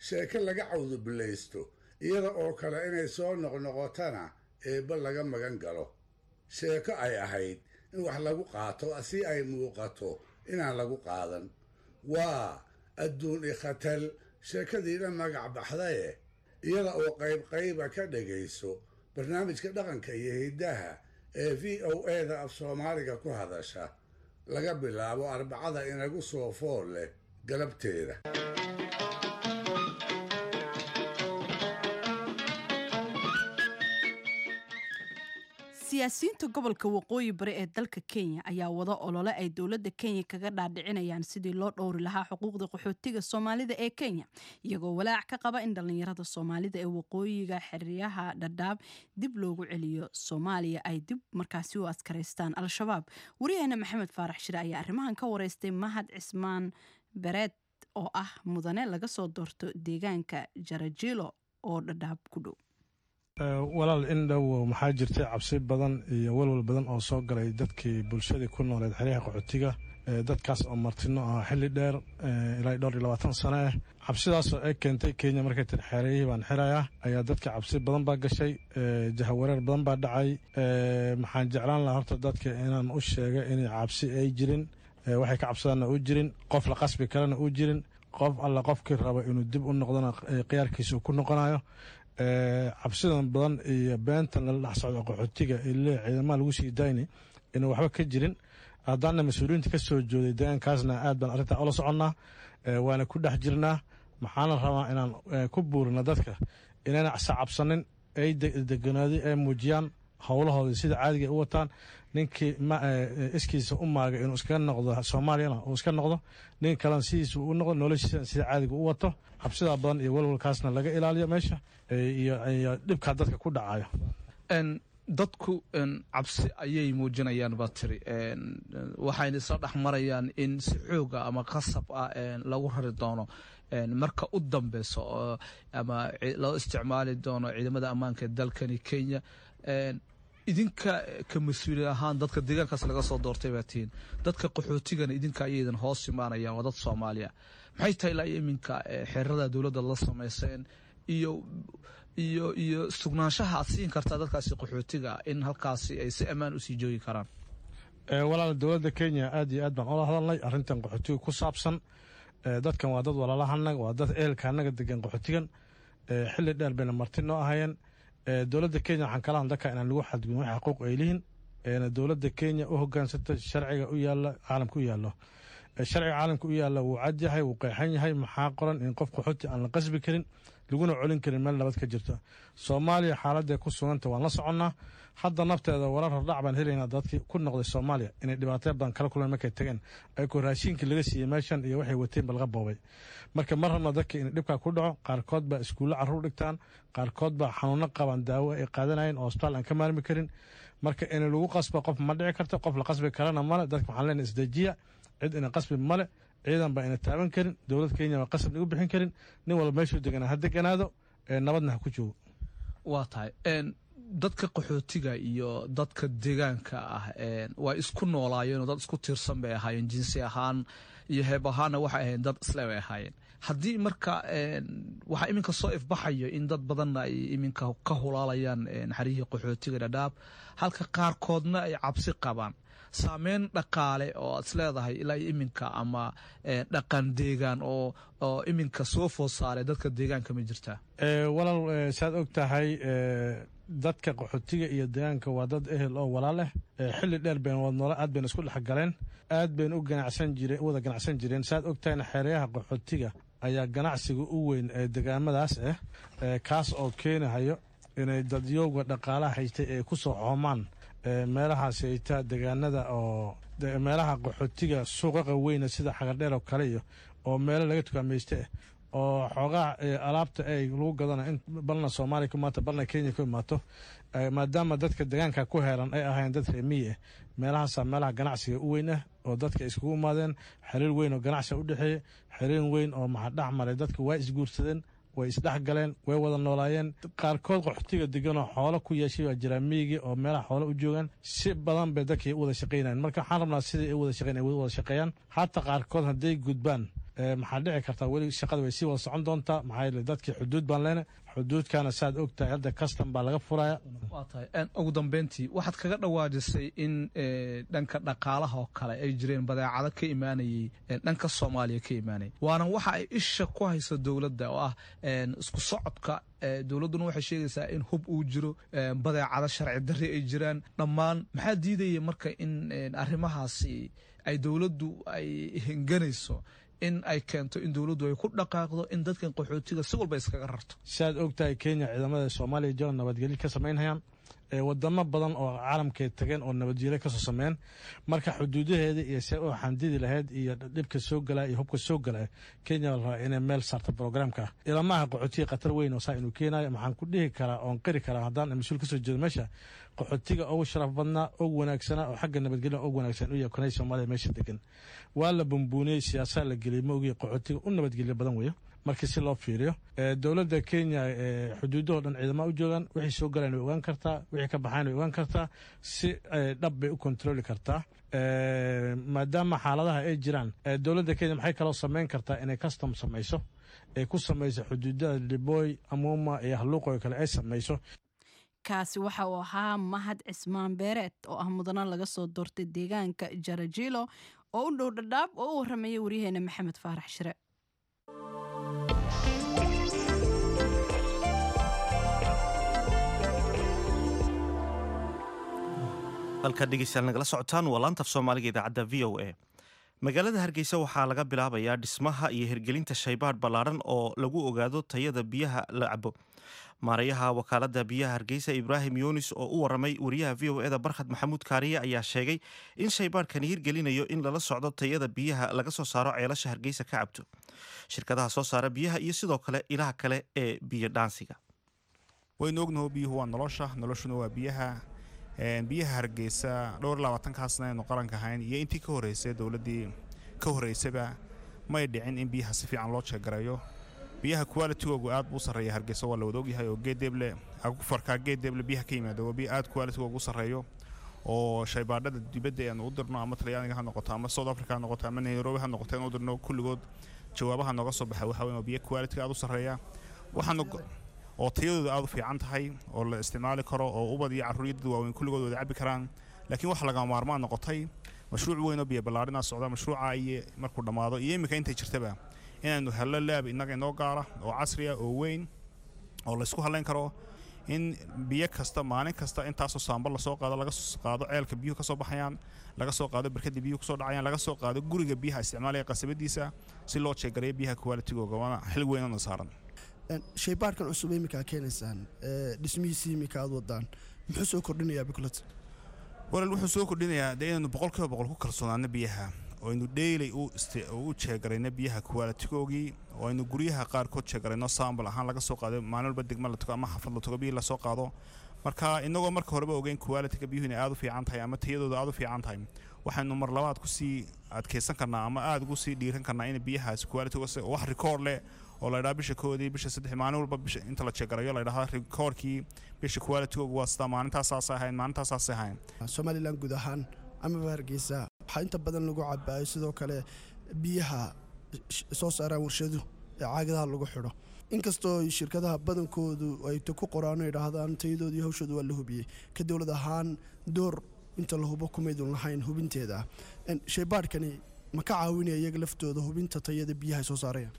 sheeko laga cawdubilaysto iyada oo kale inay soo noqnoqotana eebba laga magan galo, sheeko ay ahayd in wax lagu qaato si ay muuqato inaan lagu qaadan. Waa adduun ikhatal sheekadiina magac baxdaye, iyada oo qaybqayba ka dhegayso barnaamijka dhaqanka iyo hiddaha ee V O A-da af Soomaaliga ku hadasha laga bilaabo Arbacada inagu soo fool leh galabteeda. Siyaasiyiinta gobolka Waqooyi Bari ee dalka Kenya ayaa wada olole ay dowladda Kenya kaga dhaadhicinayaan sidii loo dhowri lahaa xuquuqda qaxootiga Soomaalida ee Kenya, iyagoo walaac ka qaba in dhallinyarada Soomaalida ee waqooyiga xeryaha Dhadhaab dib loogu celiyo Soomaaliya ay dib markaasi u askaraystaan Al-Shabaab. Wariyaheena Maxamed Faarax Shire ayaa arrimahan ka wareystay Mahad Cismaan Bereed oo ah mudane laga soo doorto deegaanka Jarajilo oo Dhadhaab ku dhow. Walaal, in dhow maxaa jirtay cabsi badan iyo walwal badan oo soo galay dadkii bulshadii ku nooleed xeryaha qaxootiga, dadkaas oo martino ah xilli dheer, ilaa dhowr iyo labaatan sano ah. Cabsidaasoo ay keentay Kenya markay tiri xeerayihii baan xirayaa, ayaa dadka cabsi badan baa gashay, jahawareer badan baa dhacay. Maxaan jeclaan lahaa horta dadka inaan u sheega inay cabsi ay jirin, waxay ka cabsadaanna u jirin, qof la qasbi karana u jirin, qof alla qofkii raba inuu dib u noqdona khiyaarkiisa uu ku noqonayo. Cabsidan badan iyo beentan lala dhex socdo qaxootiga ile ciidamaha lagu sii dayni inuu waxba ka jirin. Haddaana mas-uuliyiinta ka soo jooday deegaankaasna aad baan arrintaa ula soconnaa, waana ku dhex jirnaa. Maxaana rabaa inaan ku buurina dadka inayna cabsanin, ay deganaadi, ay muujiyaan howlahoodii sida caadiga ay u wataan. Ninkii iskiisa u maagay inuu iskaga noqdo Soomaaliyana uu iska noqdo, nin kalena sidiisa u noqdo, noloshiisa sida caadiga u wato. Cabsidaa badan iyo walwalkaasna laga ilaaliyo meesha iyo dhibkaa dadka ku dhacayo. Dadku cabsi ayay muujinayaan baa tiri, waxayna isla dhex marayaan in si xooga ama qasab ah lagu rari doono marka u dambeyso, ama loo isticmaali doono ciidamada ammaanka ee dalkani Kenya. Idinka ka mas-uuli ahaan dadka deegaankaas laga soo doortay baa tihiin, dadka qaxootigana idinka ayaydan hoos imaanayaan, waa dad Soomaaliya. Maxay tahay ilaa iminka xeerada dowladda la samayseen iyo iyo iyo sugnaanshaha aad siin kartaa dadkaasi qaxootiga in halkaasi ay si ammaan usii joogi karaan? Walaal, dowladda Kenya aad iyo aad baan ula hadalnay arrintan qaxootiga ku saabsan. Dadkan waa dad walaalahanaga, waa dad ehelka annaga degan qaxootigan, xilli dheer bayna marti noo ahayeen. Dowladda Kenya waxaan kala hadla dadka inaan lagu xadgudbin wax xuquuq ay lihiin, dowladda Kenya u hogaansanta sharciga u yaalla caalamka u yaallo. Sharciga caalamka u yaalla wuu cad yahay, wuu qeexan yahay. Maxaa qoran? In qof qaxooti aan la qasbi karin, laguna colin karin meel nabad ka jirto. Soomaaliya xaaladday ku suganta waan la soconnaa. Hadda nafteeda warar hordhac baan helaynaa dadkii ku noqday Soomaaliya inay dhibaataya badan kala kulmeen markay tageen, ayagoo raashinkii laga siiyey meeshan iyo waxay wateen ba laga boobay. Marka ma rabna dadka inay dhibkaa ku dhaco. Qaarkood baa iskuullo carruur dhigtaan, qaarkood baa xanuuno qabaan, daawo ay qaadanayeen oo hosbitaal aan ka maarmi karin. Marka in lagu qasbo qof ma dhici karto, qof la qasbi karana male. Dadka waxaan leenahay isdejiya, cid ina qasbi male, ciidan baa ina taaban karin, dowlad Kenya baa qasab nagu bixin karin. Nin walba meeshuu deganaa ha deganaado, nabadna ha ku joogo. Waa tahay, dadka qaxootiga iyo dadka deegaanka ah waa isku noolaayeen oo dad isku tiirsan bay ahaayeen, jinsi ahaan iyo heeb ahaanna waxay ahayn dad isle bay ahaayeen. Haddii marka waxaa iminka soo ifbaxayo in dad badanna ay iminka ka hulaalayaan xaryihii qaxootiga Dhadhaab, halka qaarkoodna ay cabsi qabaan, saameyn dhaqaale oo aad isleedahay ilaa iyo iminka ama dhaqan deegaan oo oo iminka soo food saaray dadka deegaanka ma jirtaa? Walaal, saad og tahay, dadka qaxootiga iyo deegaanka waa dad ehel oo walaal leh. Xilli dheer bayna wad noola, aad bayna isku dhex galeen, aad bayna u ganacsan jireen, u wada ganacsan jireen. Saad og tahayna, xeeryaha qaxootiga ayaa ganacsiga u weyn ee deegaamadaas ah, kaas oo keenahayo inay dadyowga dhaqaalaha haystay ay ku soo xoomaan meelahaas hayta deegaanada oo meelaha qaxootiga suuqaqa weyna sida Xagardheer oo kale iyo oo meelo laga tukaamaysta ah oo xoogaha alaabta ay lagu gadana in balna Soomaaliya ku imaato, balna Kenya ku imaato, maadaama dadka deegaanka ku heeran ay ahayn dad reer miyi ah. Meelahaasaa meelaha ganacsiga u weyn ah oo dadka iskugu imaadeen, xiriir weyn oo ganacsiga u dhexeeya, xiriir weyn oo maxaa dhex maray. Dadka waa isguursadeen, way isdhex galeen, way wada noolaayeen. Qaarkood qaxootiga deganoo xoolo ku yeeshay baa jiraa miyigii oo meelaha xoolo u joogaan. Si badan bay dadkii u wada shaqaynayan. Marka waxaan rabnaa sidii ay u wada shaqeyn ay wada shaqeeyaan. Hataa qaarkood hadday gudbaan, maxaa dhici kartaa weli shaqada way sii wada socon doontaa. Maxaa yeele dadkii xuduud baan leenahay, xuduudkana saad og tahay hadda custom baa laga furaya. Waa tahay, ugu dambeyntii waxaad kaga dhawaajisay in dhanka dhaqaalaha oo kale ay jireen badeecado ka imaanayay dhanka Soomaaliya ka imaanayay, waana waxa ay isha ku hayso dowladda oo ah isku socodka. Dowladduna waxay sheegaysaa in hub uu jiro, badeecado sharci darri ay jiraan dhammaan. Maxaa diidaya marka in arrimahaasi ay dowladdu ay henganayso in ay keento in dowladdu ay ku dhaqaaqdo in dadkan qaxootiga si walba iskaga rarto? Siaad og tahay, Kenya ciidamada Soomaaliya jooga nabadgelyo ka samaynhayaan. Wadamo badan oo caalamkay tageen oo nabadgelyo kasoo sameeyeen. Marka xuduudaheeda iyo see u xandidi lahayd iyo dhibka soo galaya iyo hubka soo galaya, Kenya la rabaa inay meel saarto programka. Ilamaha qaxootiga khatar weyn oo saa inuu keenayo, maxaan ku dhihi karaa oon qiri karaa haddaan mas-uul kasoo jeedo meesha, qaxootiga ugu sharaf badnaa, ugu wanaagsanaa oo xagga nabadgelya ugu wanaagsan u yahay kanay Soomaaliya meesha degan. Waa la bumbuuniyey, siyaasaa la geliyey, ma ogiye qaxootiga u nabadgelyo badan weeyo markii si loo fiiriyo. Dowladda Kenya xuduudahoo dhan ciidama u joogaan, wixii soo galaan way ogaan kartaa, wixii ka baxaan way ogaan kartaa, si dhab bay u kontroli kartaa. Maadaama xaaladaha ay jiraan, dowladda Kenya maxay kaloo samayn kartaa? Inay custom samayso, ay ku samayso xuduudada Liboy, Amuma iyo Halluuqo kale ay samayso. Kaasi waxa uu ahaa Mahad Cismaan Beereed oo ah mudano laga soo doortay deegaanka Jarajilo oo u dhow Dhadhaab oo u warramayay waryaheena Maxamed Faarax Shire. Halkaad dhegeystayaal nagala socotaan waa laanta af Soomaaliga, idaacadda V O A. Magaalada Hargeysa waxaa laga bilaabayaa dhismaha iyo hirgelinta shaybaadh ballaadhan oo lagu ogaado tayada biyaha la cabo. Maarayaha wakaaladda biyaha Hargeysa, Ibraahim Yunis, oo u waramay wariyaha V O E da Barkhad Maxamuud Kaariye, ayaa sheegay in shaybaadhkani hirgelinayo in lala socdo tayada biyaha laga soo saaro ceelasha Hargeysa ka cabto, shirkadaha soo saara biyaha iyo sidoo kale ilaha kale ee biyo dhaansiga. Waynu ognaho, biyuhu waa nolosha, noloshuna waa biyaha. Biyaha Hargeysa dhowr labaatankaasna aynu qaranka ahayn iyo intii ka horreysay, dowladdii ka horreysayba, may dhicin in biyaha si fiican loo jeegarayo. Biyaha qualitygoogu aad buu u sarreeya Hargeysa, waa la wada ogyahay, oo Geedeeble, aquiferka Geedeeble biyaha ka yimaada waa biyo aad qualitygoogu u sarreeyo, oo shaybaadhada dibadda aanu u dirno, ama Talyaaniga ha noqoto ama South Africa ha noqoto ama Nairobi ha noqoto aan u dirno, kulligood jawaabaha nooga soo baxay waxa weyn waa biyo quality aad u sarreeya, waxaanu oo tayadooda aad u fiican tahay oo la isticmaali karo oo ubad iyo carruur iyo dad waaweyn kulligood wada cabbi karaan. Laakiin waxa lagama maarmaan noqotay, mashruuc weyn oo biyo ballaarinaa socda, mashruuca iyo markuu dhammaado iyo iminka intay jirtaba, inaanu hello lab innaga inoo gaara oo casri ah oo weyn oo la isku halayn karo, in biyo kasta maalin kasta intaasoo sample lasoo qaado, laga soo qaado ceelka biyuhu ka soo baxayaan, laga soo qaado barkada biyuhu kasoo dhacayaan, laga soo qaado guriga biyaha isticmaalaya qasabadiisa, si loo jeegareeyo biyaha qualitygooga. Waana xil weyn oo saaran. Shaybaarkan cusub iminka aad keenaysaan, dhismihiisii iminka aad wadaan, muxuu soo kordhinayaa biklet? Walaal, wuxuu soo kordhinayaa dee inaynu boqol kiiba boqol ku kalsoonaano biyaha, oo aynu daily u u jeegarayno biyaha qualitygoogii, oo aynu guryaha qaarkood jeegarayno, sample ahaan laga soo qaado, maalin walba degma la tago ama xaafad la tago, biyo lasoo qaado. Marka inagoo marka horeba ogeyn qualityga biyuhu inay aad u fiican tahay ama tayadooda aad u fiican tahay, waxaynu mar labaad kusii adkeysan karnaa ama aad ugu sii dhiiran karnaa in biyahaas qualitygooda wax record leh oo la idhaha bisha koodii, bisha saddex, maalin walba bisha inta la jeegarayo la idhaha recordkii bisha qualitygooga waa sidaa, maalintaas ahayn, maalintaas ahayn. Somaliland guud ahaan amaba Hargeysa waxaa inta badan lagu cabaayo sidoo kale biyaha soo saaraan warshadu ee caagadaha lagu xidho, inkastoo shirkadaha badankoodu ay ku qoraan oo idhaahdaan tayadooda iyo hawshooda waa la hubiyey. Ka dowlad ahaan door inta la hubo kumaydun lahayn hubinteeda. Shaybaadhkani ma ka caawinaya iyaga laftooda hubinta tayada biyaha ay soo saarayaan?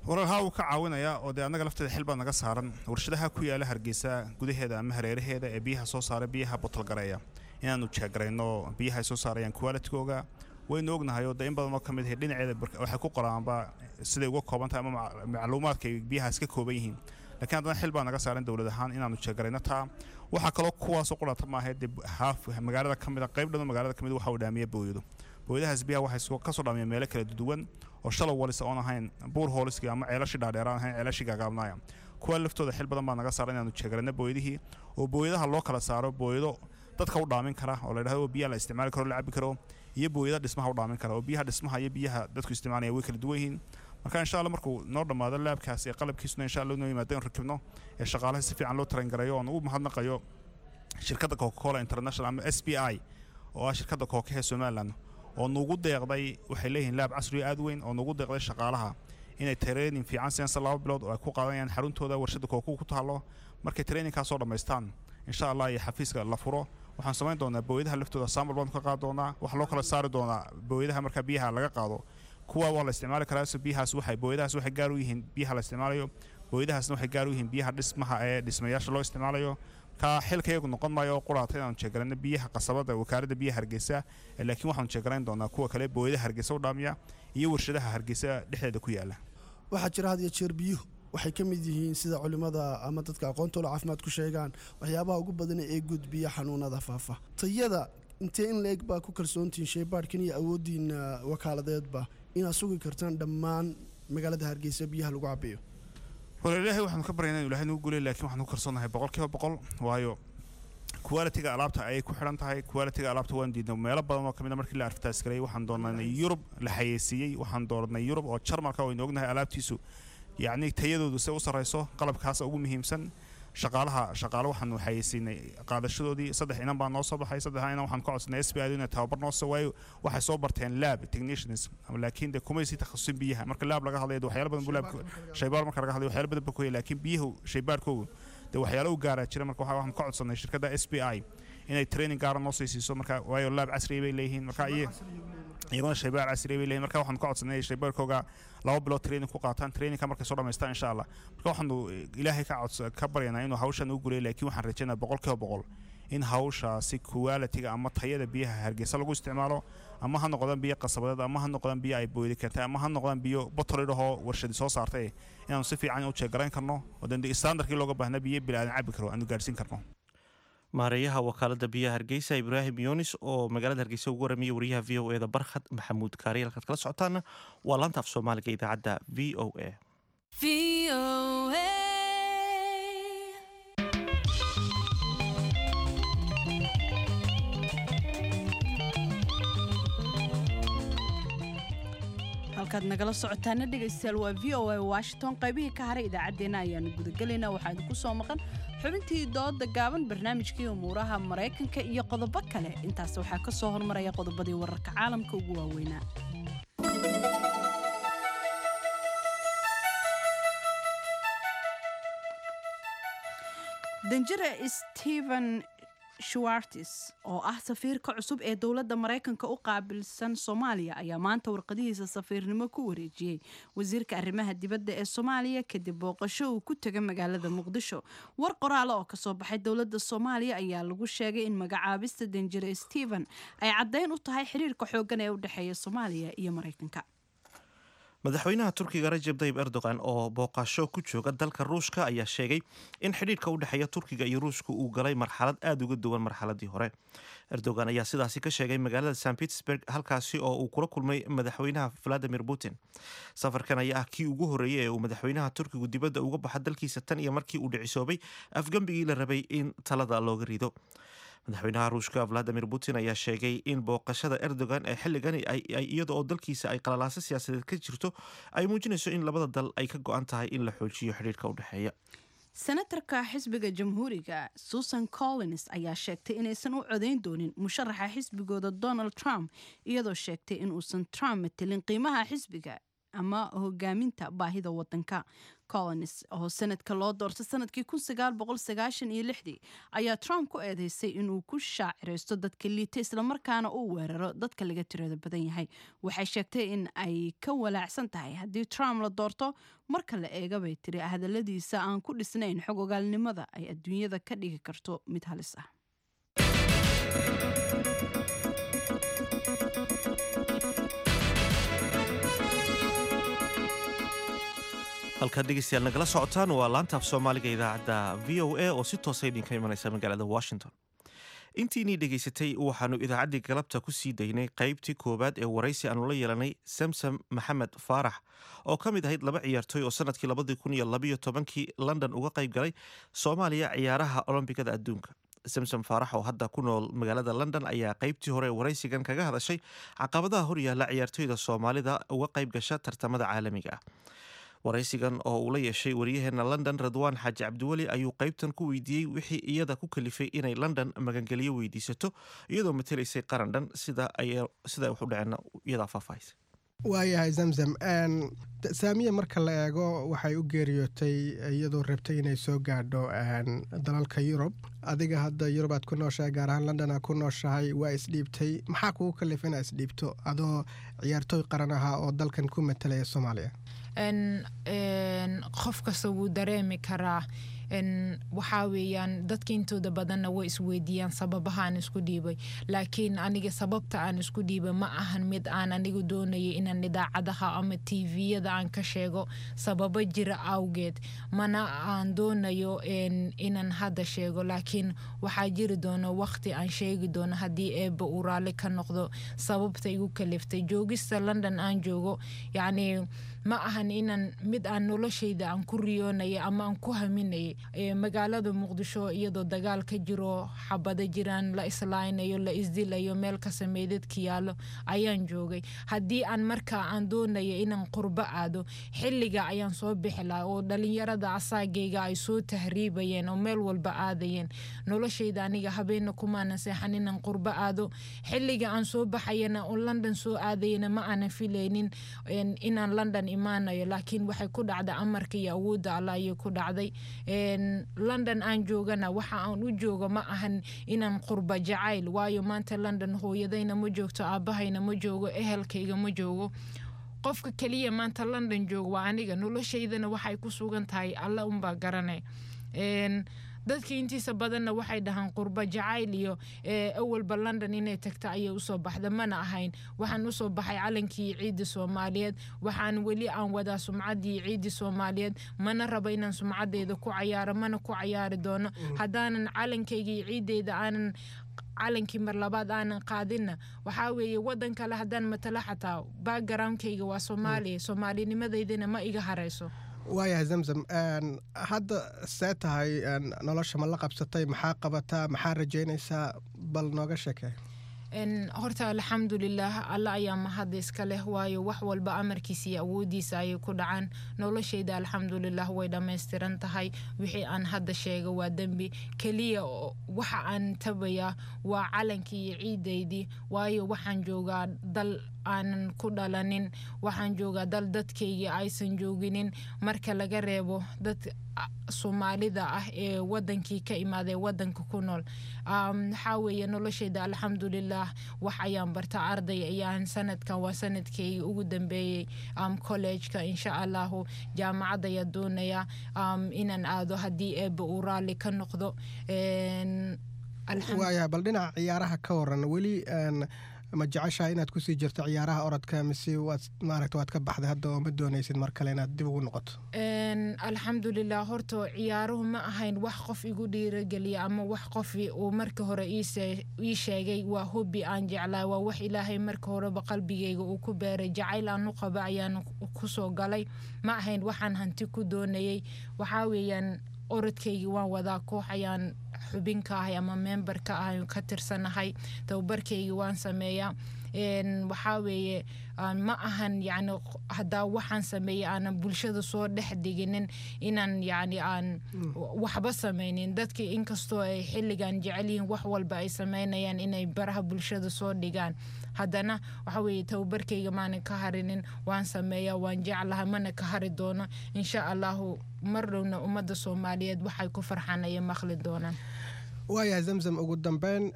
Walaal, haa, wuu ka caawinayaa, oo dee annaga lafteeda xil baa naga saaran warshadaha ku yaala Hargeysa gudaheeda ama hareeraheeda ee biyaha soo saara, biyaha bottle gareeya, inaanu jeegarayno biyaha ay soo saarayaan qualitygooga. Waynu ognahay oo dee in badan oo ka mid ahi dhinaceeda waxay ku qoraanba siday uga kooban tahay ama macluumaadka ay biyahaas ka kooban yihiin, laakiin haddana xil baa naga saaran dowlad ahaan inaanu jeegarayno taa. Waxaa kaloo kuwaasoo qurata maaha, dee haaf magaalada ka mid a, qayb dhan oo magaalada ka mid waxa uu dhaamiya booyado. Booyadahaas biyaha waxay kasoo dhaamiyeen meelo kala duwan oo shallow wells oon ahayn, boreholeski ama ceelashii dhaadheeraan ahayn, ceelashii gaagaabnaaya. Kuwa laftooda xil badan baa naga saaran inaanu jeegarayno booyadihii, oo booyadaha loo kala saaro booyado dadka u dhaamin kara oo la yidhahdo biyaha la isticmaali karo, la cabi karo, iyo booyada dhismaha u dhaamin kara, oo biyaha dhismaha iyo biyaha dadku isticmaalaya way kala duwan yihiin. Marka insha Allah markuu noo dhammaado labkaas ee qalabkiisuna insha Allah noo yimaado, in rakibno ee shaqaalaha si fiican loo train gareeyo, oon ugu mahadnaqayo shirkadda Coca-Cola International ama S B I oo ah shirkadda Coca ee Somaliland oo nugu deeqday. Waxay leeyihiin lab casri aad weyn oo nugu deeqday shaqaalaha inay training fiican siiyaan laba bilood oo ay ku qaadanayaan xaruntooda warshadda Coca ku taalo. Markay trainingkaas soo dhammaystaan insha Allah iyo xafiiska la furo, waxaan samayn doonaa booyadaha laftooda sample baanu ka qaadi doonaa. Waxaa loo kala saari doonaa booyadaha marka biyaha laga qaado, kuwa waa la isticmaali karaa, so biyahaas waxay booyadahaas waxay gaar u yihiin biyaha la isticmaalayo, booyadahaasna waxay gaar u yihiin biyaha dhismaha ee dhismayaasha loo isticmaalayo. Ka xilkayagu noqon maayo oo quraata inaanu jeegarayno biyaha qasabada wakaaladda biyaha Hargeysa, laakiin waxaanu jeegarayn doonaa kuwa kale, booyadaha Hargeysa u dhaamiya iyo warshadaha Hargeysa dhexdeeda ku yaala. Waxaa jira had iyo jeer biyuhu Waxay ka mid yihiin, sida culimada ama dadka aqoontoola caafimaad ku sheegaan, waxyaabaha ugu badan ee gudbiya xanuunada faafa. Tayada intee in la-eg baa ku kalsoontihiin shaybaadhkan iyo awooddiina wakaaladeedba inaad sugi kartaan dhammaan magaalada Hargeysa biyaha lagu cabayo? Wala Ilaahay waxaanu ka baryaynaa inuu Ilaahay nagu guuleeyo, laakiin waxaanu ku kalsoonahay boqolkiiba boqol, waayo quality-ga alaabta ayay ku xidhan tahay. Quality-ga alaabta waan diidnay meelo badan oo kamid a markii la advertise gareeyay. Waxaan doonay Yurub la xayeysiiyey, waxaan dooranay Yurub oo Jarmalka waynu ognahay alaabtiisu, yacni tayadoodu se u sarreyso. Qalabkaas ugu muhiimsan, shaqaalaha, shaqaale waxaanu xayeysiinay qaadashadoodii. Saddex inan baa noo soo baxay. Saddex inan waxaan ka codsanay S B I inay tababar noo soo, waayo waxay soo barteen lab technicians, laakiin de kumay sii takhasusin biyaha. Marka lab laga hadlayo waxyaalo badan buu lab, shaybaar marka laga hadlayo waxyaalo badan buu ku yahay, laakiin biyuhu shaybaarkoogu de waxyaalo u gaaraa jira. Marka waxaan ka codsanay shirkadda S B I inay training gaara noo sii siiso, marka waayo lab casri bay leeyihiin, marka iyaguna shaybaar casri bay leeyihiin. Marka waxaan ka codsanay shaybaarkooga laba bilood training ku qaataan, trainingka markay soo dhamaystaan insha Allah. Marka waxaanu Ilaahay ka cods ka baryanaa inuu hawshan u guleeyo, laakiin waxaan rajaynaa boqolkiiba boqol in hawshaasi quality-ga ama tayada biyaha Hargeysa lagu isticmaalo, ama ha noqdaan biyo qasabadeed, ama ha noqdaan biyo ay booydi keentay, ama ha noqdaan biyo botolidhahoo warshadi soo saartay, inaanu si fiican u jeegarayn karno oo dee standardkii looga baahnaa biyo bilaadan cabi karo aanu gaadhsiin karno. Maareeyaha wakaalada biyaha Hargeysa Ibraahim Yunis oo magaalada Hargeysa ugu warramiyay wariyaha V O E da Barkhad Maxamuud Kaari. Halkaad kala socotaana waa laanta af Soomaaliga idaacadda V O A. Halkaad nagala socotaana dhegaystayaal waa V O A Washington. Qaybihii ka haray idaacaddeenna ayaanu gudagelaynaa. Waxaa idinku soo maqan xubintii dooda gaaban, barnaamijkii umuuraha Maraykanka iyo qodobo kale. Intaas waxaa ka soo hormaraya qodobadii wararka caalamka ugu waaweynaa. Danjire Stephen Schwartz oo ah safiirka cusub ee dowladda Maraykanka u qaabilsan Soomaaliya ayaa maanta warqadihiisa safiirnimo ku wareejiyey wasiirka arrimaha dibadda ee Soomaaliya kadib booqasho uu ku tegay magaalada Muqdisho. War qoraale oo kasoo baxay dowladda Soomaaliya ayaa lagu sheegay in magacaabista danjire Stephen ay caddayn u tahay xiriirka xooggan ee u dhexeeya Soomaaliya iyo Maraykanka. Madaxweynaha Turkiga Rajab Tayyip Erdogan oo booqasho ku jooga dalka Ruushka ayaa sheegay in xidhiidhka u dhexeeya Turkiga iyo Ruushka uu galay marxalad aada uga duwan marxaladii hore. Erdogan ayaa sidaasi ka sheegay magaalada Saint Petersburg, halkaasi oo uu kula kulmay madaxweynaha Vladimir Putin. Safarkan ayaa ah kii ugu horreeyay ee uu madaxweynaha Turkigu dibadda uga baxa dalkiisa tan iyo markii uu dhicisoobay afgambigii la rabay in talada looga rido. Madaxweynaha Ruushka Vladimir Putin ayaa sheegay in booqashada Erdogan ee xilligani iyada oo dalkiisa ay qalalaaso siyaasadeed ka jirto ay muujinayso in labada dal ay ka go-an tahay in la xoojiyo xidhiidhka u dhexeeya. Senatarka xisbiga Jamhuuriga Susan Collins ayaa sheegtay inaysan u codayn doonin musharaxa xisbigooda Donald Trump, iyadoo sheegtay in uusan Trump matelin qiimaha xisbiga ama hogaaminta baahida wadanka. Collins oo sanadka loo doortay sanadkii kun sagaal boqol sagaashan iyo lixdii ayaa Trump ku eedeysay inuu ku shaaciraysto dadka liita islamarkaana uu weeraro dadka laga tirada badan yahay. Waxay sheegtay in ay ka walaacsan tahay haddii Trump la doorto, marka la eega bay tiri hadaladiisa aan ku dhisnayn xog ogaalnimada ay adduunyada ka dhigi karto mid halis ah. Halkaad dhegeystayaal nagala socotaan waa laanta af Soomaaliga idaacadda V O A oo si toosa idinka imanaysa magaalada Washington. Intiinii dhegaysatay waxaanu idaacaddii galabta ku sii daynay qaybtii koowaad ee waraysi aanu la yeelanay Samsam Maxamed Faarax oo ka mid ahayd laba ciyaartooy oo sanadkii labadii kun iyo labiyo tobankii London uga qayb galay Soomaaliya ciyaaraha Olombikada adduunka. Samsam Faarax oo hadda ku nool magaalada London ayaa qaybtii hore waraysigan kaga hadashay caqabadaha horyaala ciyaartooyda Soomaalida uga qayb gasha tartamada caalamiga ah. Waraysigan oo uu la yeeshay wariyaheena London Radwaan Xaaji Cabdiweli ayuu qaybtan ku weydiiyey wixii iyada ku kalifay inay London magangeliyo weydiisato iyadoo matelaysay qaran dhan, sida ay sida wax u dhaceen iyadaa faahfaahisa. Waayahay Zamzam, Saamiya marka la eego waxay u geeriyootay iyadoo rabtay inay soo gaadho dalalka Yurub. Adiga hadda Yurub aad ku nooshahay, gaar ahaan London aad ku nooshahay, waa isdhiibtay. Maxaa kugu kalifay inaa isdhiibto adoo ciyaartooy qaran ahaa oo dalkan ku matalaya Soomaaliya? Qof kasta wuu dareemi karaa Waxaa weeyaan, dadka intooda badanna way isweydiiyaan sababaha aan isku dhiibay, laakiin aniga sababta aan isku dhiibay ma ahan mid aan anigu doonayay inaan idaacadaha ama T V-yada aan ka sheego. Sababo jira awgeed mana aan doonayo inaan hadda sheego, laakiin waxaa jiri doono waqti aan sheegi doono, haddii Eebba uu raalli ka noqdo, sababta igu kaliftay joogista London aan joogo. Yacni, ma ahan inaan mid aan noloshayda aan ku riyoonayay ama aan ku haminayay. Magaalada Muqdisho iyadoo dagaal ka jiro, xabado jiraan, la islaaynayo, la isdilayo, meel ka sameydadka yaallo ayaan joogay. Haddii aan markaa aan doonayo inaan qurbo aado, xilliga ayaan soo bixi lahaa oo dhalinyarada asaagayga ay soo tahriibayeen oo meel walba aadayeen. Noloshayda aniga habeenna kumaanan seexan inaan qurbo aado. Xilliga aan soo baxayana oo London soo aadayana, ma aanan filaynin inaan London imaanayo, laakiin waxay ku dhacday amarka iyo awoodda Alla ayay ku dhacday. London aan joogana, waxa aan u joogo ma ahan inaan qurba jacayl, waayo maanta London hooyadayna ma joogto, aabahayna ma joogo, ehelkayga ma joogo. Qofka keliya maanta London joogo waa aniga. Noloshaydana waxay ku sugan tahay Alla unbaa garanay. Dadka intiisa badanna waxay dhahaan qurba jacayl iyo awalba London inay tagta ayay usoo baxda. Mana ahayn. Waxaan usoo baxay calankii ciidda Soomaaliyeed. Waxaan weli aan wadaa sumcaddii ciidda Soomaaliyeed. Mana rabo inaan sumcadeyda ku cayaaro, mana ku cayaari doono. Haddaanan calankayga iyo ciiddeyda aanan calankii mar labaad aanan qaadinna, waxaa weeye wadan kale haddaan matalo, xataa backgroundkayga waa Soomaaliya, soomaalinimadeydana ma iga hareyso. Waayahay Zamzam, hadda see tahay? Nolosha ma la qabsatay? Maxaa qabataa? Maxaa rajaynaysaa? Bal nooga sheekee. Horta alxamdulilaah, Alla ayaa mahad iska leh, waayo wax walba amarkiisa iyo awoodiisa ayay ku dhacaan. Noloshayda alxamdulilah way dhammaystiran tahay. Wixii aan hadda sheega waa dembi. Keliya waxa aan tabayaa waa calankii iyo ciidaydii, waayo waxaan joogaa dal aanan ku dhalanin, waxaan joogaa dal dadkaygii aysan jooginin, marka laga reebo dad Soomaalida ah ee wadankii ka imaaday, wadanka ku nool. Waxaa weeye noloshayda alxamdulilah, wax ayaan barta, arday ayaan. Sanadkan waa sanadkaygi ugu dambeeyey college-ka. Insha Allahu jaamacad ayaa doonaya inaan aado, haddii Eebba uu raalli ka noqdo. Waayahay, bal dhinaca ciyaaraha ka waran. Weli ma jeceshahay inaad kusii jirto ciyaaraha orodka, mise waad maaragta waad ka baxday hadda oo ma doonaysid mar kale inaad dib ugu noqoto? Alxamdulilah, horta ciyaaruhu ma ahayn wax qof igu dhiirageliya ama wax qof uu marka hore ii sheegay. Waa hobby aan jeclaa, waa wax Ilaahay marka horeba qalbigayga uu ku beeray. Jacayl aan u qaba ayaan kusoo galay, ma ahayn waxaan hanti ku doonayay. Waxaa weeyaan, orodkaygii waan wadaa, koox ayaan xubin ka ahay ama member ka ahay, ka tirsanahay, tababarkaygii waan sameeyaa. Waxaa weeye, ma ahan yani haddaa waxaan sameeyey aanan bulshada soo dhex dhiginin inaan yani aan waxba sameynin. Dadka inkastoo ay xilligan jecel yihiin wax walba ay sameynayaan inay baraha bulshada soo dhigaan, haddana waxa weeye tababarkayga maanan ka harinin. Waan sameeyaa, waan jeclahay, mana ka hari doono insha Allahu. Mar dhowna ummadda Soomaaliyeed waxay ku farxaan ayay maqli doonaan. Waayahay Zamzam, ugu dambeyn,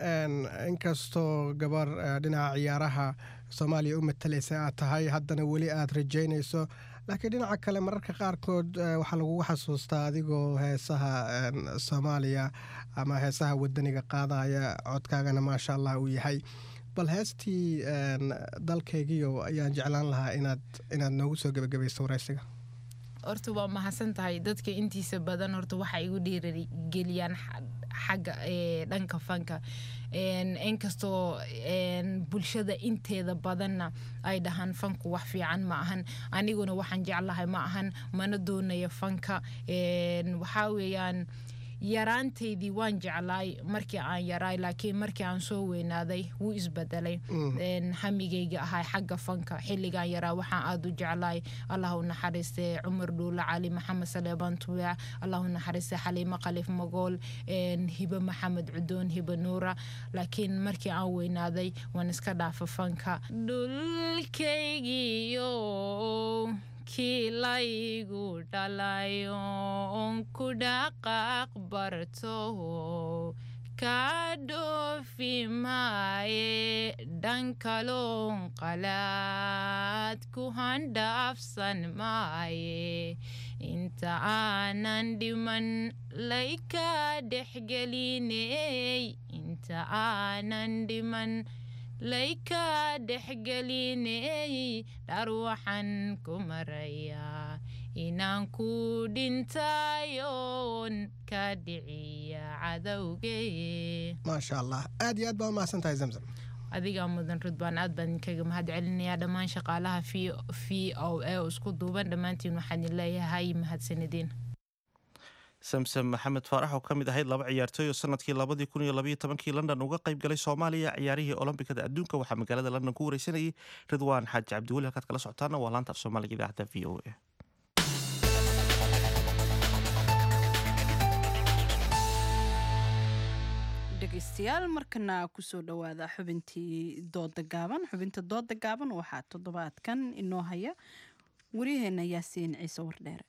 inkastoo gabar dhinaca ciyaaraha Soomaaliya u matalaysa aad tahay, haddana weli aad rajaynayso, laakiin dhinaca kale mararka qaarkood waxaa lagugu xasuustaa adigoo heesaha Soomaaliya ama heesaha wadaniga qaadaya, codkaagana maasha Allah uu yahay. Bal heestii Dalkaygiyo ayaan jeclaan lahaa inaad inaad noogu soo gebagabayso waraysiga. Horta waa mahadsan tahay. Dadka intiisa badan horta waxay igu dhiirigeliyaan xagga dhanka fanka, inkastoo bulshada inteeda badanna ay dhahaan fanku wax fiican ma ahan. Aniguna waxaan jeclahay ma ahan, mana doonayo fanka. Waxaa weeyaan, yaraantaydii waan jeclaay markii aan yaraay, laakiin markii aan soo weynaaday wuu isbedelay hamigayga ahaa xagga fanka. Xilligaan yaraa waxaan aada u jeclaay, Allah u naxariistay, Cumar Dhuule Cali, Maxamed Saleebaan Tubeec, Allah u naxariistay, Xaliimo Khaliif Magool, Hibe Maxamed Cudoon, Hibe Nuura. Laakiin markii aan weynaaday waan iska dhaafa fanka. Dhulkaygiyo kii laygu dhalayo on ku dhaqaaq barto, kaa dhoofi maaye, dhankaloon qalaad ku handhaafsan maaye. Inta aanan dhiman layka dhexgeliney, inta aanan dhiman layka dhexgeliney, dhar waxaan ku marayaa inaan ku dhintayoon ka dhiciya cadowgee. Maasha Allah, aad iyo aad baa u mahadsan tahay, Zamzam. Adigaa mudan, Ridwaan. Aad baan idinkaga mahad celinayaa dhammaan shaqaalaha V O A isku duuban. Dhammaantiin waxaan idin leeyahay mahadsanidin. Samsam Maxamed Faarax oo ka mid ahayd laba ciyaartooy oo sanadkii labadii kun iyo labaiyo tobankii London uga qayb galay Soomaaliya ciyaarihii Olombikada adduunka, waxaa magaalada London ku wareysanayay Ridwaan Xaaji Cabdiweli. Halkaad kala socotaana waa laanta af Soomaaliga, idaacadda V O A. Dhegeystayaal, markana kusoo dhawaada xubintii dooda gaaban. Xubinta dooda gaaban waxaa toddobaadkan inoo haya wariyaheena Yaasiin Ciise Wardheere.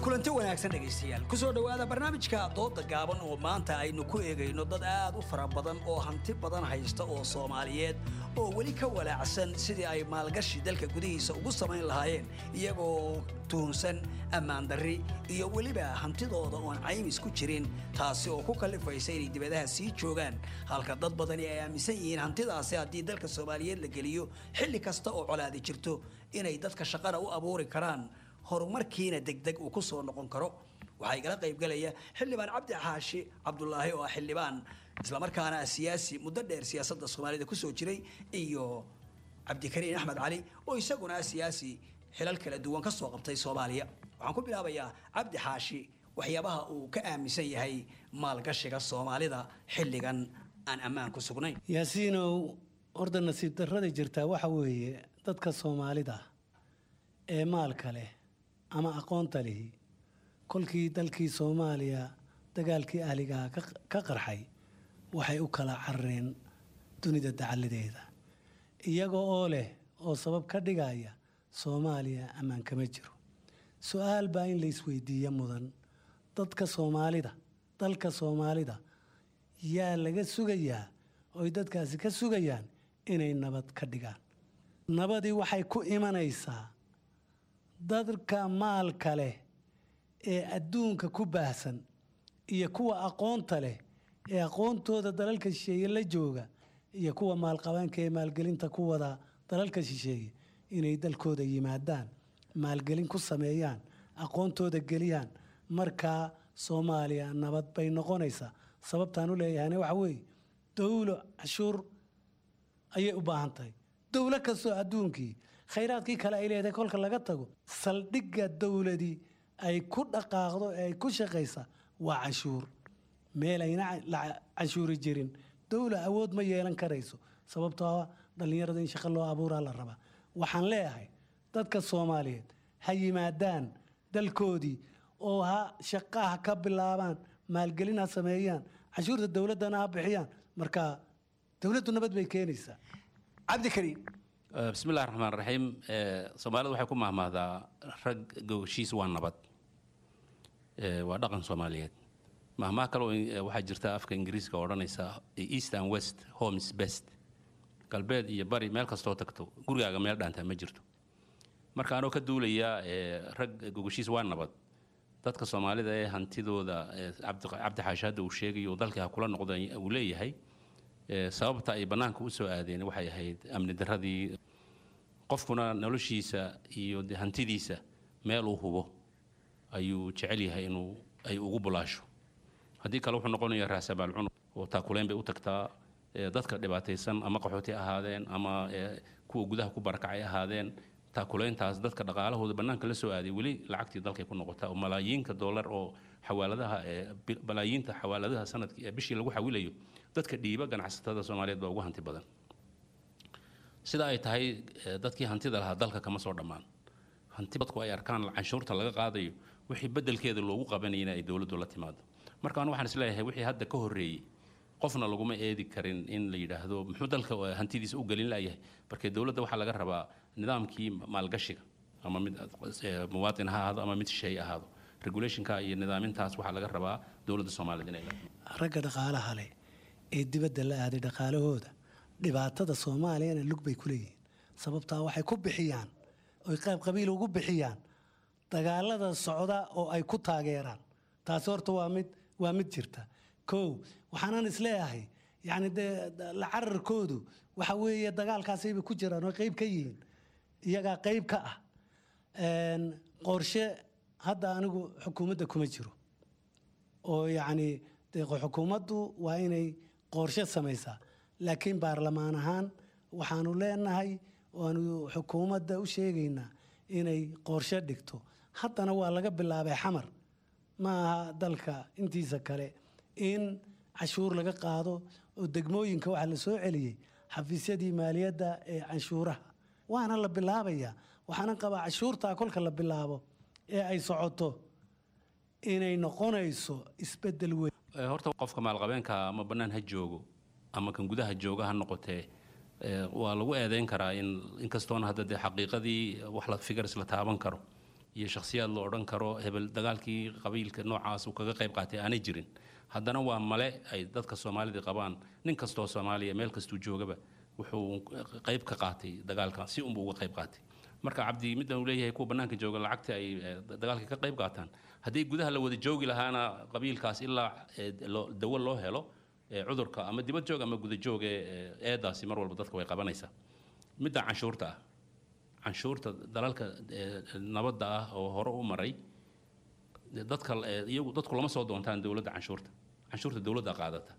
Kulanti wanaagsan, dhegaystayaal. Kusoo dhowaada barnaamijka dooda gaaban oo maanta aynu ku eegayno dad aad u fara badan oo hanti badan haysta oo Soomaaliyeed oo weli ka walaacsan sidii ay maalgashi dalka gudihiisa ugu samayn lahaayeen, iyagoo tuhunsan ammaan darri iyo weliba hantidooda oon caymis ku jirin, taasi oo ku kallifaysa inay dibadaha sii joogaan, halka dad badani ay aaminsan yihiin hantidaasi haddii dalka Soomaaliyeed la geliyo xilli kasta oo colaadi jirto inay dadka shaqana u abuuri karaan, horumarkiina degdeg uu ku soo noqon karo. Waxaa igala qaybgalaya Xildhibaan Cabdi Xaashi Cabdulaahi oo ah xildhibaan islamarkaana ah siyaasi muddo dheer siyaasadda Soomaalida kusoo jiray, iyo Cabdikariin Axmed Cali oo isaguna ah siyaasi xilal kala duwan ka soo qabtay Soomaaliya. Waxaan ku bilaabayaa Cabdi Xaashi waxyaabaha uu ka aaminsan yahay maalgashiga Soomaalida xilligan aan ammaan ku sugnayn. Yaasiinow, horta nasiib darrada jirtaa waxa weeye dadka Soomaalida ee maalka leh ama aqoonta lihi, kolkii dalkii Soomaaliya dagaalkii ahligaha ka qarxay, waxay u kala carareen dunida dacaladeeda, iyaga oo leh oo sabab ka dhigaya Soomaaliya ammaan kama jiro. Su-aal baa in la isweydiiyo mudan: dadka Soomaalida, dalka Soomaalida yaa laga sugayaa oy dadkaasi ka sugayaan inay nabad ka dhigaan? Nabadii waxay ku imanaysaa dadka maalka leh ee adduunka ku baahsan iyo kuwa aqoonta leh ee aqoontooda dalalka shisheeye la jooga iyo kuwa maalqabaanka ee maalgelinta ku wada dalalka shisheeye inay dalkooda yimaadaan, maalgelin ku sameeyaan, aqoontooda geliyaan. Markaa Soomaaliya nabad bay noqonaysaa. Sababtaan u leeyahayna waxa weeye, dowlo cashuur ayay u baahan tahay. Dowlo kastoo adduunkii khayraadkii kale ay leedahay kolka laga tago, saldhigga dowladii ay ku dhaqaaqdo ee ay ku shaqaysa waa canshuur. Meel ayna la canshuuri jirin, dowla awood ma yeelan karayso, sababtoo ah dhallinyarada in shaqo loo abuuraa la rabaa. Waxaan leeyahay dadka Soomaaliyeed ha yimaadaan dalkoodii oo ha shaqaha ka bilaabaan, maalgelin ha sameeyaan, canshuurta dowladdana ha bixiyaan. Marka dowladdu nabad bay keenaysaa. Cabdikariim. Bismi illahi raxmaan raxiim. Soomaalida waxay ku mahmahdaa "rag gogoshiis waa nabad". Waa dhaqan Soomaaliyeed. Mahmaha kale oo waxaa jirta afka Ingiriiska odhanaysa "East and west, home is best". Galbeed iyo bari, meel kastoo tagto, gurigaaga meel dhaantaa ma jirto. Marka anoo ka duulaya rag gogoshiis waa nabad, dadka Soomaalida ee hantidooda Cabdi Xaashi hadda uu sheegayo dalkii ha kula noqda uu leeyahay, sababta ay bannaanka u soo aadeen waxay ahayd amni darradii. Qofkuna noloshiisa iyo hantidiisa meel uu hubo ayuu jecel yahay inuu ay ugu bulaasho. Haddii kale wuxuu noqonayaa raasamaal cun oo taakuleen bay u tagtaa dadka dhibaataysan, ama qaxooti ahaadeen ama kuwa gudaha ku barakacay ahaadeen. Taakuleyntaas dadka dhaqaalahooda bannaanka la soo aaday weli lacagtii dalkay ku noqotaa, oo malaayiinka dollar oo xawaaladaha, balaayiinta xawaaladaha sanadkii bishii lagu xawilayo, dadka dhiiba ganacsatada Soomaaliyeed baa ugu hanti badan. Sida ay tahay, dadkii hantida lahaa dalka kama soo dhammaan. Hanti dadku ay arkaan canshuurta laga qaadayo wixii beddelkeeda loogu qabanayna ay dowladdu la timaado. Marka anu waxaan isleeyahay wixii hadda ka horreeyey qofna laguma eedi karin in la yidhaahdo muxuu dalka hantidiisa u gelin layahay. Marka dowladda waxaa laga rabaa nidaamkii maalgashiga, ama mid muwaatin ha ahaado ama mid shisheeye ahaado, Regulationka iyo nidaamintaas waxaa laga rabaa dowladda Soomaaliyeed inay Ragga dhaqaalaha leh ee dibadda la aaday dhaqaalahooda, dhibaatada Soomaaliyana lug bay ku leeyihiin. Sababtaa waxay ku bixiyaan oy qayb qabiil ugu bixiyaan dagaalada socda oo ay ku taageeraan. Taasi horta waa mid waa mid jirta. Kow, waxaanan isleeyahay, yacni dee la cararkoodu waxa weeye dagaalkaasayba ku jiraan oo qayb ka yihiin, iyagaa qayb ka ah. Qorshe hadda anigu xukuumadda kuma jiro oo yacni dee xukuumaddu waa inay qorshe samaysaa, laakiin baarlamaan ahaan waxaanu leenahay waanu xukuumadda u sheegaynaa inay qorshe dhigto. Haddana waa laga bilaabay Xamar, ma aha dalka intiisa kale, in canshuur laga qaado oo degmooyinka waxaa la soo celiyey xafiisyadii maaliyadda ee canshuuraha, waana la bilaabayaa. Waxaanan qabaa canshuurtaa kolka la bilaabo ee ay socoto inay noqonayso isbeddel weyn. Horta qofka maalqabeenka ama bannaan ha joogo ama kan gudaha jooga ha noqotee, waa lagu eedeyn karaa in inkastoona hadda dee xaqiiqadii wax la figures la taaban karo iyo shakhsiyaad la odhan karo hebel dagaalkii qabiilka noocaas uu kaga qayb qaatay aanay jirin, haddana waa male ay dadka Soomaalida qabaan. Nin kastoo Soomaaliya meel kastuu joogaba wuxuu qayb ka qaatay dagaalka, si unbuu uga qayb qaatay. Marka Cabdi middan uu leeyahay kuwa bannaanka jooga lacagta ay dagaalka ka qayb qaataan, haddii gudaha la wada joogi lahaana qabiilkaas ilaa dawo loo helo cudurka, ama dibad joog ama guda joog, eedaasi mar walba dadka way qabanaysaa. Midda canshuurta ah, canshuurta dalalka nabadda ah oo hore u maray, dadka iyagu dadku lama soo doontaan dowladda canshuurta. Canshuurta dowladda qaadata.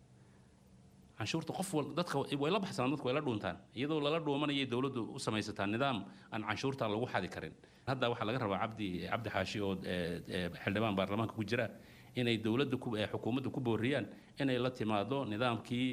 Canshuurta qof wal dadka way la baxsanaan, dadku way la dhuuntaan. Iyadoo lala dhuumanayay dowladdu u samaysataa nidaam aan canshuurta lagu xadi karin. Hadda waxaa laga rabaa Cabdi Cabdi Xaashi oo xildhibaan baarlamaanka ku jira inay dowladda ku xukuumadda ku booriyaan inay la timaado nidaamkii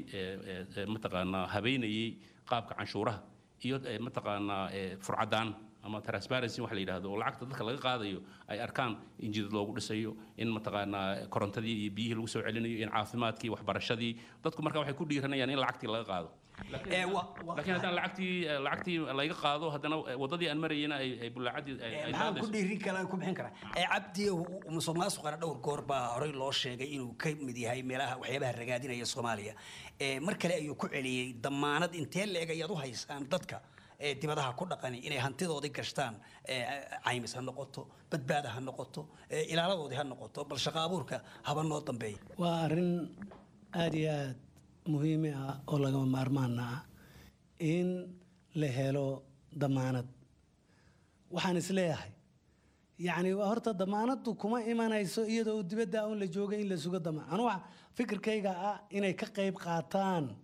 mataqaanaa habeynayay qaabka canshuuraha iyo mataqaanaa furcadaan ama transparency wax la yidhaahdo, oo lacagta dadka laga qaadayo ay arkaan in jidad loogu dhisayo, in mataqaanaa korontadii iyo biyihii lagu soo celinayo, in caafimaadkii, waxbarashadii. Dadku marka waxay ku dhiiranayaan in lacagtii laga qaado. Laakiin haddaan lacagtii lacagtii laga qaado, haddana waddadii aan marayena ay ay bullaacadii ay Maxaan ku dhiirin karaa, ku bixin karaa? Cabdi, musuq maasuqana dhowr goor baa horey loo sheegay inuu ka mid yahay meelaha waxyaabaha ragaadinaya Soomaaliya. Mar kale ayuu ku celiyey. Damaanad intee leeg ayaad u haysaan dadka ee dibadaha ku dhaqani inay hantidoodii gashtaan, caymis ha noqoto, badbaada ha noqoto, ilaaladoodii ha noqoto, bal shaqo abuurka haba noo dambeeya? Waa arrin aada iyo aada muhiimi ah oo lagama maarmaana ah in la helo damaanad. Waxaan isleeyahay, yacni horta damaanaddu kuma imanayso iyadoo dibadda un la jooga in la sugo damaan. Anu waxa fikirkayga ah inay ka qayb qaataan,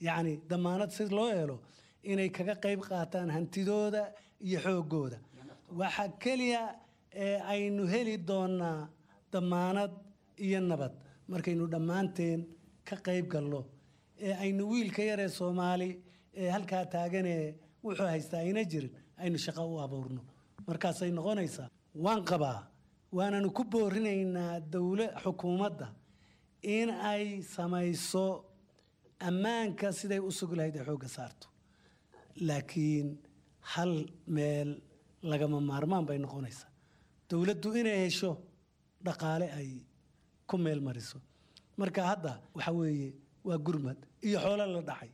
yacni damaanad si loo helo inay kaga qayb qaataan hantidooda iyo xooggooda. Waxa keliya ee aynu heli doonaa damaanad iyo nabad markaynu dhammaanteen ka qayb galno ee aynu wiilka yaree Soomaali ee halkaa taaganee wuxuu haystaa ayna jirin aynu shaqo u abuurno. Markaasay noqonaysaa. Waan qabaa, waananu ku boorinaynaa dowla xukuumadda in ay samayso ammaanka siday u sugi lahayd ay xoogga saarto, laakiin hal meel lagama maarmaan bay noqonaysaa: dowladdu inay hesho dhaqaale ay ku meel mariso. Marka hadda waxa weeye waa gurmad iyo xoolo la dhacay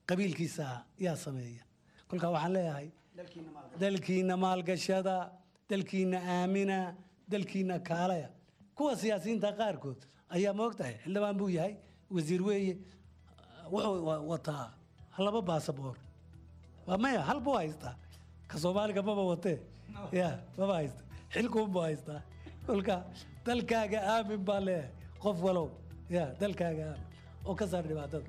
qabiilkiisa yaa sameeya. Kolkaa waxaan leeyahay, dalkiina maalgashada, dalkiina aamina, dalkiina kaalaya. Kuwa siyaasiyiinta qaarkood ayaa ma ogtahay xildhibaan buu yahay, wasiir weeye, wuxuu wataa laba baasaboor. Waa maya, hal buu haystaa, ka Soomaaliga maba watee, ya maba haysta, xilkuunbuu haystaa. Kolka dalkaaga aamin baa leeyahay qof walow, ya dalkaaga aamin oo ka saar dhibaatada.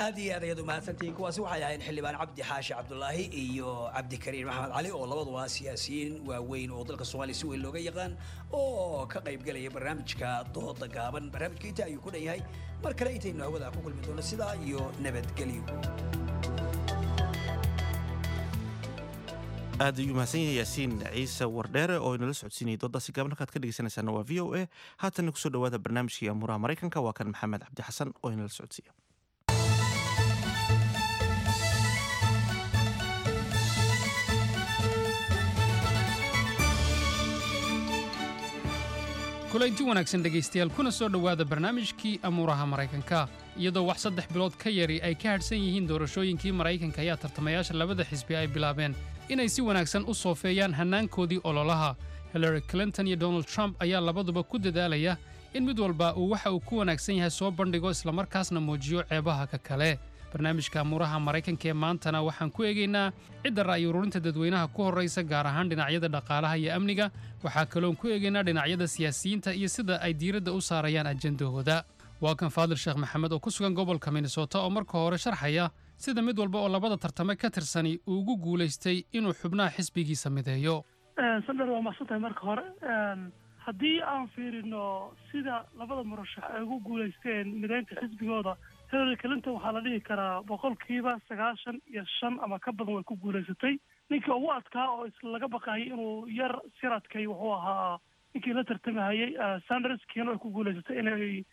Aad iyo aad ayaad umahadsantihiin. Kuwaasi waxay ahayn xildhibaan Cabdi Xaashi Cabdulaahi iyo Cabdikariin Maxamed Cali oo labaduba siyaasiyiin waaweyn oo dalka Soomaaliya si weyn looga yaqaan oo ka qayb galaya barnaamijka dooda gaaban. Barnaamijka inta ayuu ku dhan yahay. Mar kale intaynu hawada ku kulmi doono, sidaa iyo nabadgelyo. Aad ayuu mahadsan yahay Yaasiin Ciise Wardheere oo inala socodsiinayay doodaasi gaaban. Halkaad ka dhegeysanaysaana waa V O A. Haatanna kusoo dhawaada barnaamijkii amuuraha Maraykanka. Waa kan Maxamed Cabdi Xasan oo inala socodsiiya. Kulanti wanaagsan, dhegaystayaal, kuna soo dhowaada barnaamijkii amuuraha Maraykanka. Iyadoo wax saddex bilood ka yari ay ka hadhsan yihiin doorashooyinkii Maraykanka, ayaa tartamayaasha labada xisbi ay bilaabeen inay si wanaagsan u soofeeyaan hannaankoodii ololaha. Hillary Clinton iyo Donald Trump ayaa labaduba ku dadaalaya in mid walba uu waxa uu ku wanaagsan yahay soo bandhigo, islamarkaasna muujiyo ceebaha ka kale. Barnaamijka amuuraha Maraykanka ee maantana waxaan ku eegaynaa cidda ra'yi ururinta dadweynaha ku horraysa, gaar ahaan dhinacyada dhaqaalaha iyo amniga. Waxaa kaloon ku eegaynaa dhinacyada siyaasiyiinta iyo sida ay diiradda u saarayaan ajendahooda. Waa kan Faadil Sheekh Maxamed oo ku sugan gobolka Minnesota oo marka hore sharxaya sida mid walba oo labada tartame ka tirsani uu ugu guulaystay inuu xubnaha xisbigiisa mideeyo. Sandar, waa mahadsantahay. Marka hore, haddii aan fiirino sida labada murashax ay ugu guulaysteen mideynta xisbigooda, Hillary Clinton waxaa la dhihi karaa boqolkiiba sagaashan iyo shan ama ka badan way ku guulaysatay. Ninkii ugu adkaa oo is laga baqayay inuu yar siradkay wuxuu ahaa ninkii la tartamahayay, Sanders. Kiina way ku guulaysatay inay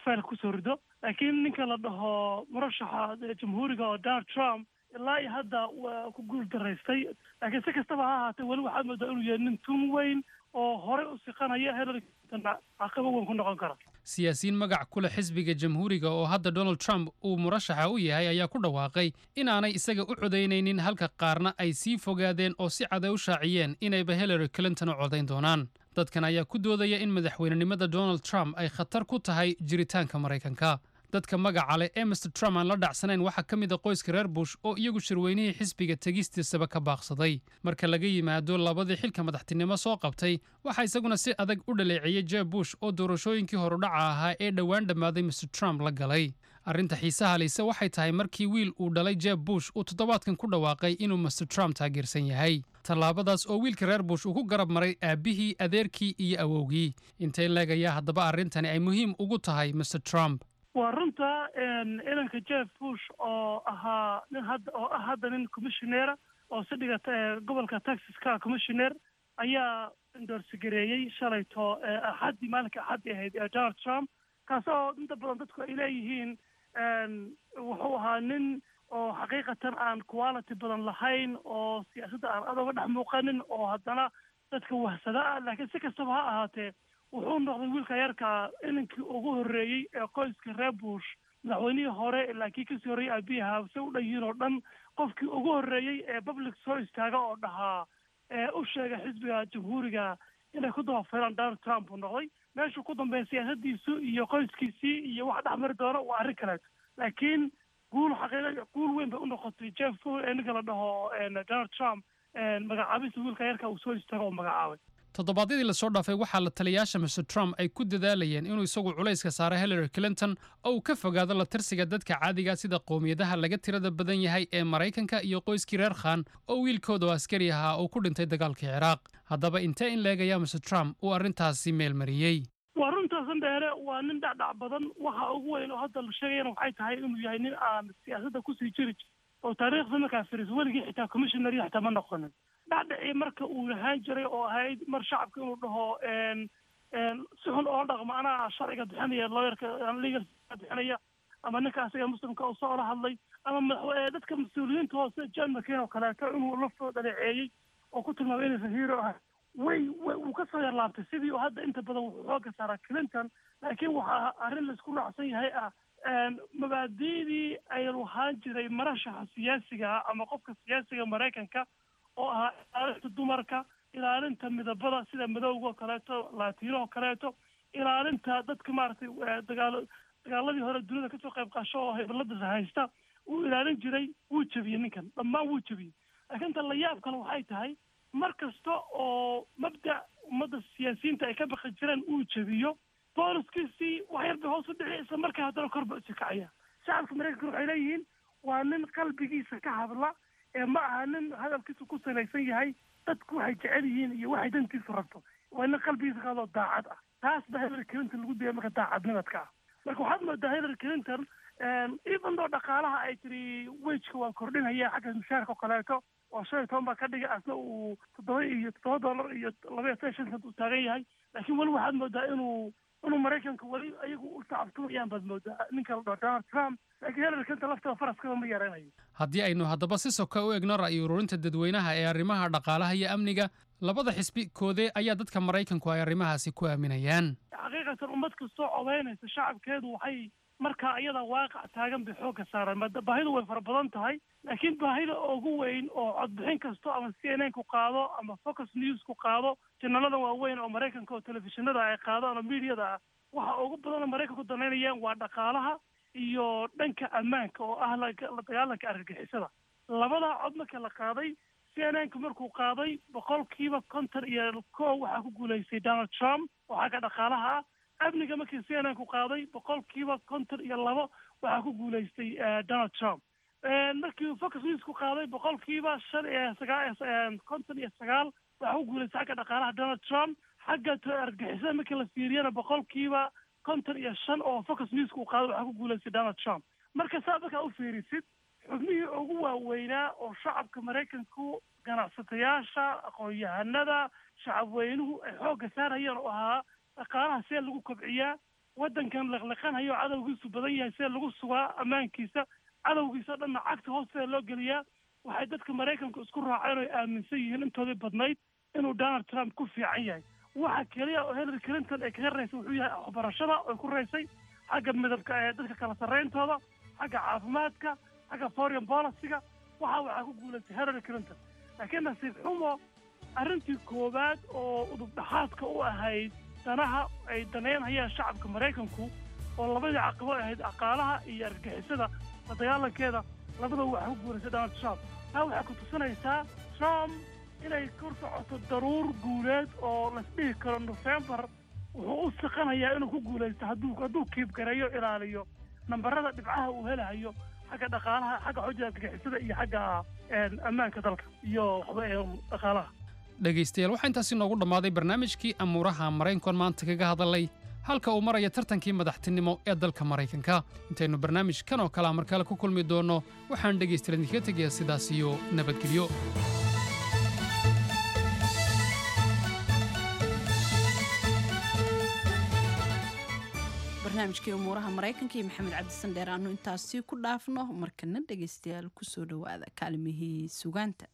fayl kusoo rido, laakiin ninka la dhaho murashaxa Jamhuuriga oo Donald Trump ilaa iyo hadda waa ku guul daraystay. Laakiin si kastaba ha ahaatee, weli waxaad moodaa inuu yahay nin tun weyn oo horey u siqanaya, Hillary Clinton caqabo weyn ku noqon kara. Siyaasiyiin magac ku leh xisbiga Jamhuuriga oo hadda Donald Trump uu murashaxa u yahay ayaa ku dhawaaqay inaanay isaga u codaynaynin, halka qaarna ay sii fogaadeen oo si cad ay u shaaciyeen inayba Hillary Clinton u codayn doonaan. Dadkan ayaa ku doodaya in madaxweynenimada Donald Trump ay khatar ku tahay jiritaanka Maraykanka. Dadka magaca leh ee Mister Trump aan la dhacsanayn waxaa ka mid a qoyska reer Bush oo iyagu shirweynihii xisbiga tegistiisaba ka baaqsaday. Marka laga yimaado labadii xilka madaxtinimo soo qabtay, waxaa isaguna si adag u dhaleeceeyey Jeb Bush oo doorashooyinkii horudhaca ahaa ee dhowaan dhammaaday Mister Trump la galay. Arrinta xiisaha lehse waxay tahay markii wiil uu dhalay Jeb Bush uu toddobaadkan ku dhawaaqay inuu Mister Trump taageersan yahay, tallaabadaas oo wiilka reer Bush uu ku garab maray aabbihii, adeerkii iyo awowgii. Intee le'eg ayaa haddaba arrintani ay muhiim ugu tahay Mister Trump? Waa runta, inanka Jeff Bush oo ahaa nin hadda oo ah hadda nin commissioner oo si dhigata ee gobolka Texas ka commissioner ayaa endorse gareeyey shalayto, Axaddii, maalinka Axaddii ahayd, ee Donald Trump, kaas oo inta badan dadku ay leeyihiin wuxuu ahaa nin oo xaqiiqatan aan quality badan lahayn oo siyaasadda aan aad uga dhex muuqanin oo haddana dadka wahsada ah. Laakiin si kastaba ha ahaatee, wuxuu noqday wiilka yarka inankii ugu horreeyey ee qoyska reer Bush, madaxweynihii hore ilaa kii kasii horreeyey aabiyaha se u dhan yihiin oo dhan, qofkii ugu horreeyey ee public soo istaaga oo dhahaa ee u sheega xisbiga Jamhuuriga inay ku dabafeelaan Donald Trump uu noqday. Meeshuu ku dambeeya siyaasadiisu iyo qoyskiisii iyo wax dhex mari doono waa arrin kaleeto, laakiin guul xaqiiqa, guul weyn bay u noqotay Jeff ee ninka la dhaho Donald Trump magacaabista wiilka yarka uu soo istaago oo magacaabay. Toddobaadyadii lasoo dhaafay waxaa la taliyaasha Mister Trump ay ku dadaalayeen inuu isagu culayska saaro Hillary Clinton oo uu ka fogaado la tirsiga dadka caadiga, sida qowmiyadaha laga tirada badan yahay ee Maraykanka iyo qoyskii reer Khan oo wiilkooda oo askari ahaa uu ku dhintay dagaalkii Ciraaq. Haddaba intee in le'eg ayaa Mister Trump uu arrintaasi meel mariyey? Waa runtaa, Sandheere, waa nin dhacdhac badan. Waxa ugu weyn oo hadda la sheegayana waxay tahay inuu yahay nin aan siyaasadda kusii jiri oo taariikhda markaa firis weligii xitaa commissioner xitaa ma noqonin. Dhacdhacii marka uu lahaan jiray oo ahayd mar shacabka inuu dhaho si xun oo dhaqmo, anaa sharciga bixinaya, lawyerka legal bixinaya, ama ninka asaga Muslimka oo soo la hadlay, ama madax dadka mas-uuliyiinta hoose, John McCain oo kaleeto, inuu laftoo dhaleeceeyey oo ku tilmaamay inaysan hero ahay, way way wuu ka soo yarlaabtay sidii oo hadda inta badan wuxuu xooga saaraa Clinton. Laakiin waxaa arrin laisku raacsan yahay ah mabaadi'dii ay lahaan jiray marashaxa siyaasiga ah ama qofka siyaasiga Maraykanka oo ahaa ilaalinta dumarka, ilaalinta midabada sida madowga oo kaleeto, Latino oo kaleeto, ilaalinta dadka maaragtay dagaalo dagaaladii hore dunida kasoo qayb qaasho oo hibalada haysta wuu ilaalin jiray, wuu jebiyey ninkan, dhammaan wuu jebiyey. Laakiin ta la yaab kale waxay tahay mar kasta oo mabda ummadda siyaasiyiinta ay ka baqi jireen uu jebiyo, booliskiisii wax yar bay hoos u dhici, isla markaa haddana kor ba usi kacaya. Shacabka Maraykanka waxay leeyihiin waa nin qalbigiisa ka hadla ee ma aha nin hadalkiisu ku salaysan yahay dadku waxay jecel yihiin iyo waxay dantiisu rabto. Waa nin qalbigiisa ka hadloo daacad ah. Taas baa Hillary Clinton lagu dayay marka daacadnimadka ah. Marka waxaad moodaa Hillary Clinton, even though dhaqaalaha ay tiri wageka waan kordhinaya, xagga mushaarka oo kaleeto oo shan iyo toban baa ka dhigay, asna uu toddoba iyo toddoba dollar iyo laba iyo tan shan cent uu taagan yahay, laakiin weli waxaad moodaa inuu inuu Maraykanka weli ayagu u tacabtumayaan baad moodaa ninka la dhaho Donald Trump. Laakiin Hillary Clinton lafteeda faraskaba ma yaranayo. Haddii aynu haddaba si soka u egno ra'yi ururinta dadweynaha ee arrimaha dhaqaalaha iyo amniga, labada xisbi koodee ayaa dadka Maraykanku ay arrimahaasi ku aaminayaan? Xaqiiqatan ummad kastoo codeynaysa shacabkeedu waxay markaa iyada waaqac taagan bay xoogga saaraan. Maada baahidu way fara badan tahay, laakiin baahida ugu weyn oo codbixin kasto ama C N N ku qaado ama Fox News ku qaado, janalada waaweyn oo Maraykanka oo telefishinada ay qaadaan oo miidiyada ah, waxa ugu badan oo Maraykanku danaynayaan waa dhaqaalaha iyo dhanka ammaanka oo ah la la dagaalanka argagixisada. Labadaa cod marka la qaaday, C N N ku markuu qaaday, boqolkiiba konton iyo kow waxaa ku guulaystay Donald Trump oo xagga dhaqaalaha ah. Amniga markii C N N ku qaaday, boqolkiiba konton iyo labo waxaa ku guulaystay eh, Donald Trump. Eh, markii Fox News ku qaaday, boqolkiiba shan iyo sagaa konton iyo sagaal waxaa ku guulaystay xagga dhaqaalaha Donald Trump. Xagga t- argagixisada markii la fiiriyana, boqolkiiba konton iyo shan oo Fox News ku qaaday waxaa ku guulaystay Donald Trump. Marka saa markaa u fiirisid, xubnihii ugu waaweynaa oo shacabka Maraykanku, ganacsatayaasha, aqoon-yahanada, shacabweynuhu ay xoogga saarayeen oo ahaa dhaqaalaha see lagu kobciyaa, waddankan liqliqanayo cadowgiisu badan yahay see lagu sugaa ammaankiisa, cadowgiisa o dhanna cagta hoosteeda loo geliyaa, waxay dadka Maraykanku isku raaceen oo ay aaminsan yihiin intoodii badnayd inuu Donald Trump ku fiican yahay. Waxa keliya oo Hillary Clinton ay kaga raysay wuxuu yahay waxbarashada oy ku raysay, xagga midabka ee dadka kala sarrayntooda, xagga caafimaadka, xagga foreign policy-ga. Waxa waxaa ku guulaystay Hillary Clinton. Laakiin nasiib xumo, arrintii koowaad oo udub dhaxaadka u ahayd danaha ay danaynayaan shacabka Maraykanku oo labadii caqabo ahayd dhaqaalaha iyo argagixisada la dagaalankeeda, labadaba waxaa ku guulaystay Donald Trump. Taa waxay ku tusinaysaa Trump inay kor socoto daruur guuleed oo laisdhihi karo Nofembar wuxuu u siqanayaa inuu ku guulaysto hadduu hadduu kiibgareeyo, ilaaliyo nambarada dhibcaha uu helahayo xagga dhaqaalaha, xagga xojada argagixisada iyo xagga een, ammaanka dalka iyo waxba ee dhaqaalaha. Dhegaystayaal, waxaa intaasi noogu dhammaaday barnaamijkii amuuraha Maraykanka maanta kaga hadalay halka uu maraya tartankii madaxtinimo ee dalka Maraykanka. Intaynu barnaamijkan oo kalea mar kale ku kulmi doonno, waxaan dhegaystayaal idinkaga tegayaa sidaas iyo nabadgelyo. Barnaamijkii umuuraha Maraykanka iyo Maxamed Cabdisandheer aanu intaasi ku dhaafno. Markana dhegaystayaal, kusoo dhowaada kaalimihii sugaanta.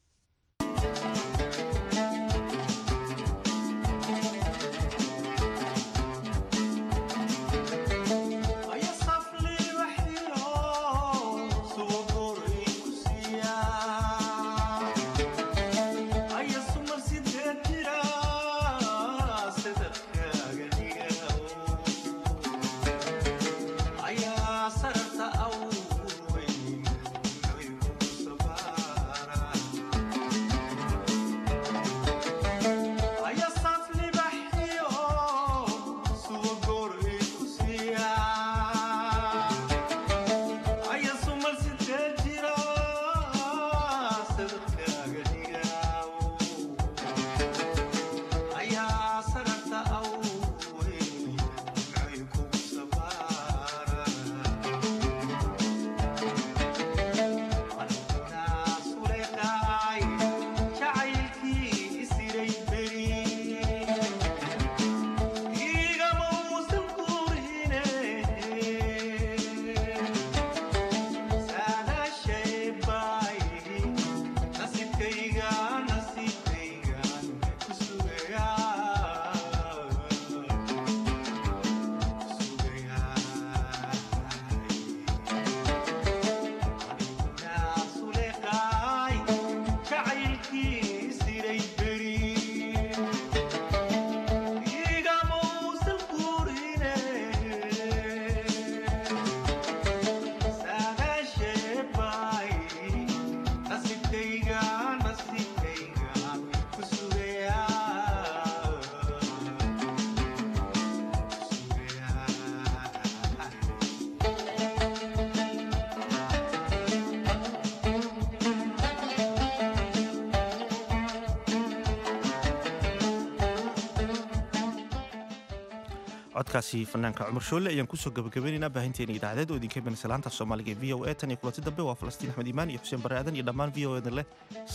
Codkaasi fanaanka Cumar Shoole ayaan kusoo gabagabaynaynaa baahinteena idaacadeed oo idinka imanaysa laanta Soomaaliga ee V O A. Tan iyo kulanti dambe, waa Falastiin Axmed Iimaan iyo Xuseen Barre Aadan iyo dhammaan V O A dan leh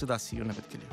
sidaas iyo nabadgelyo.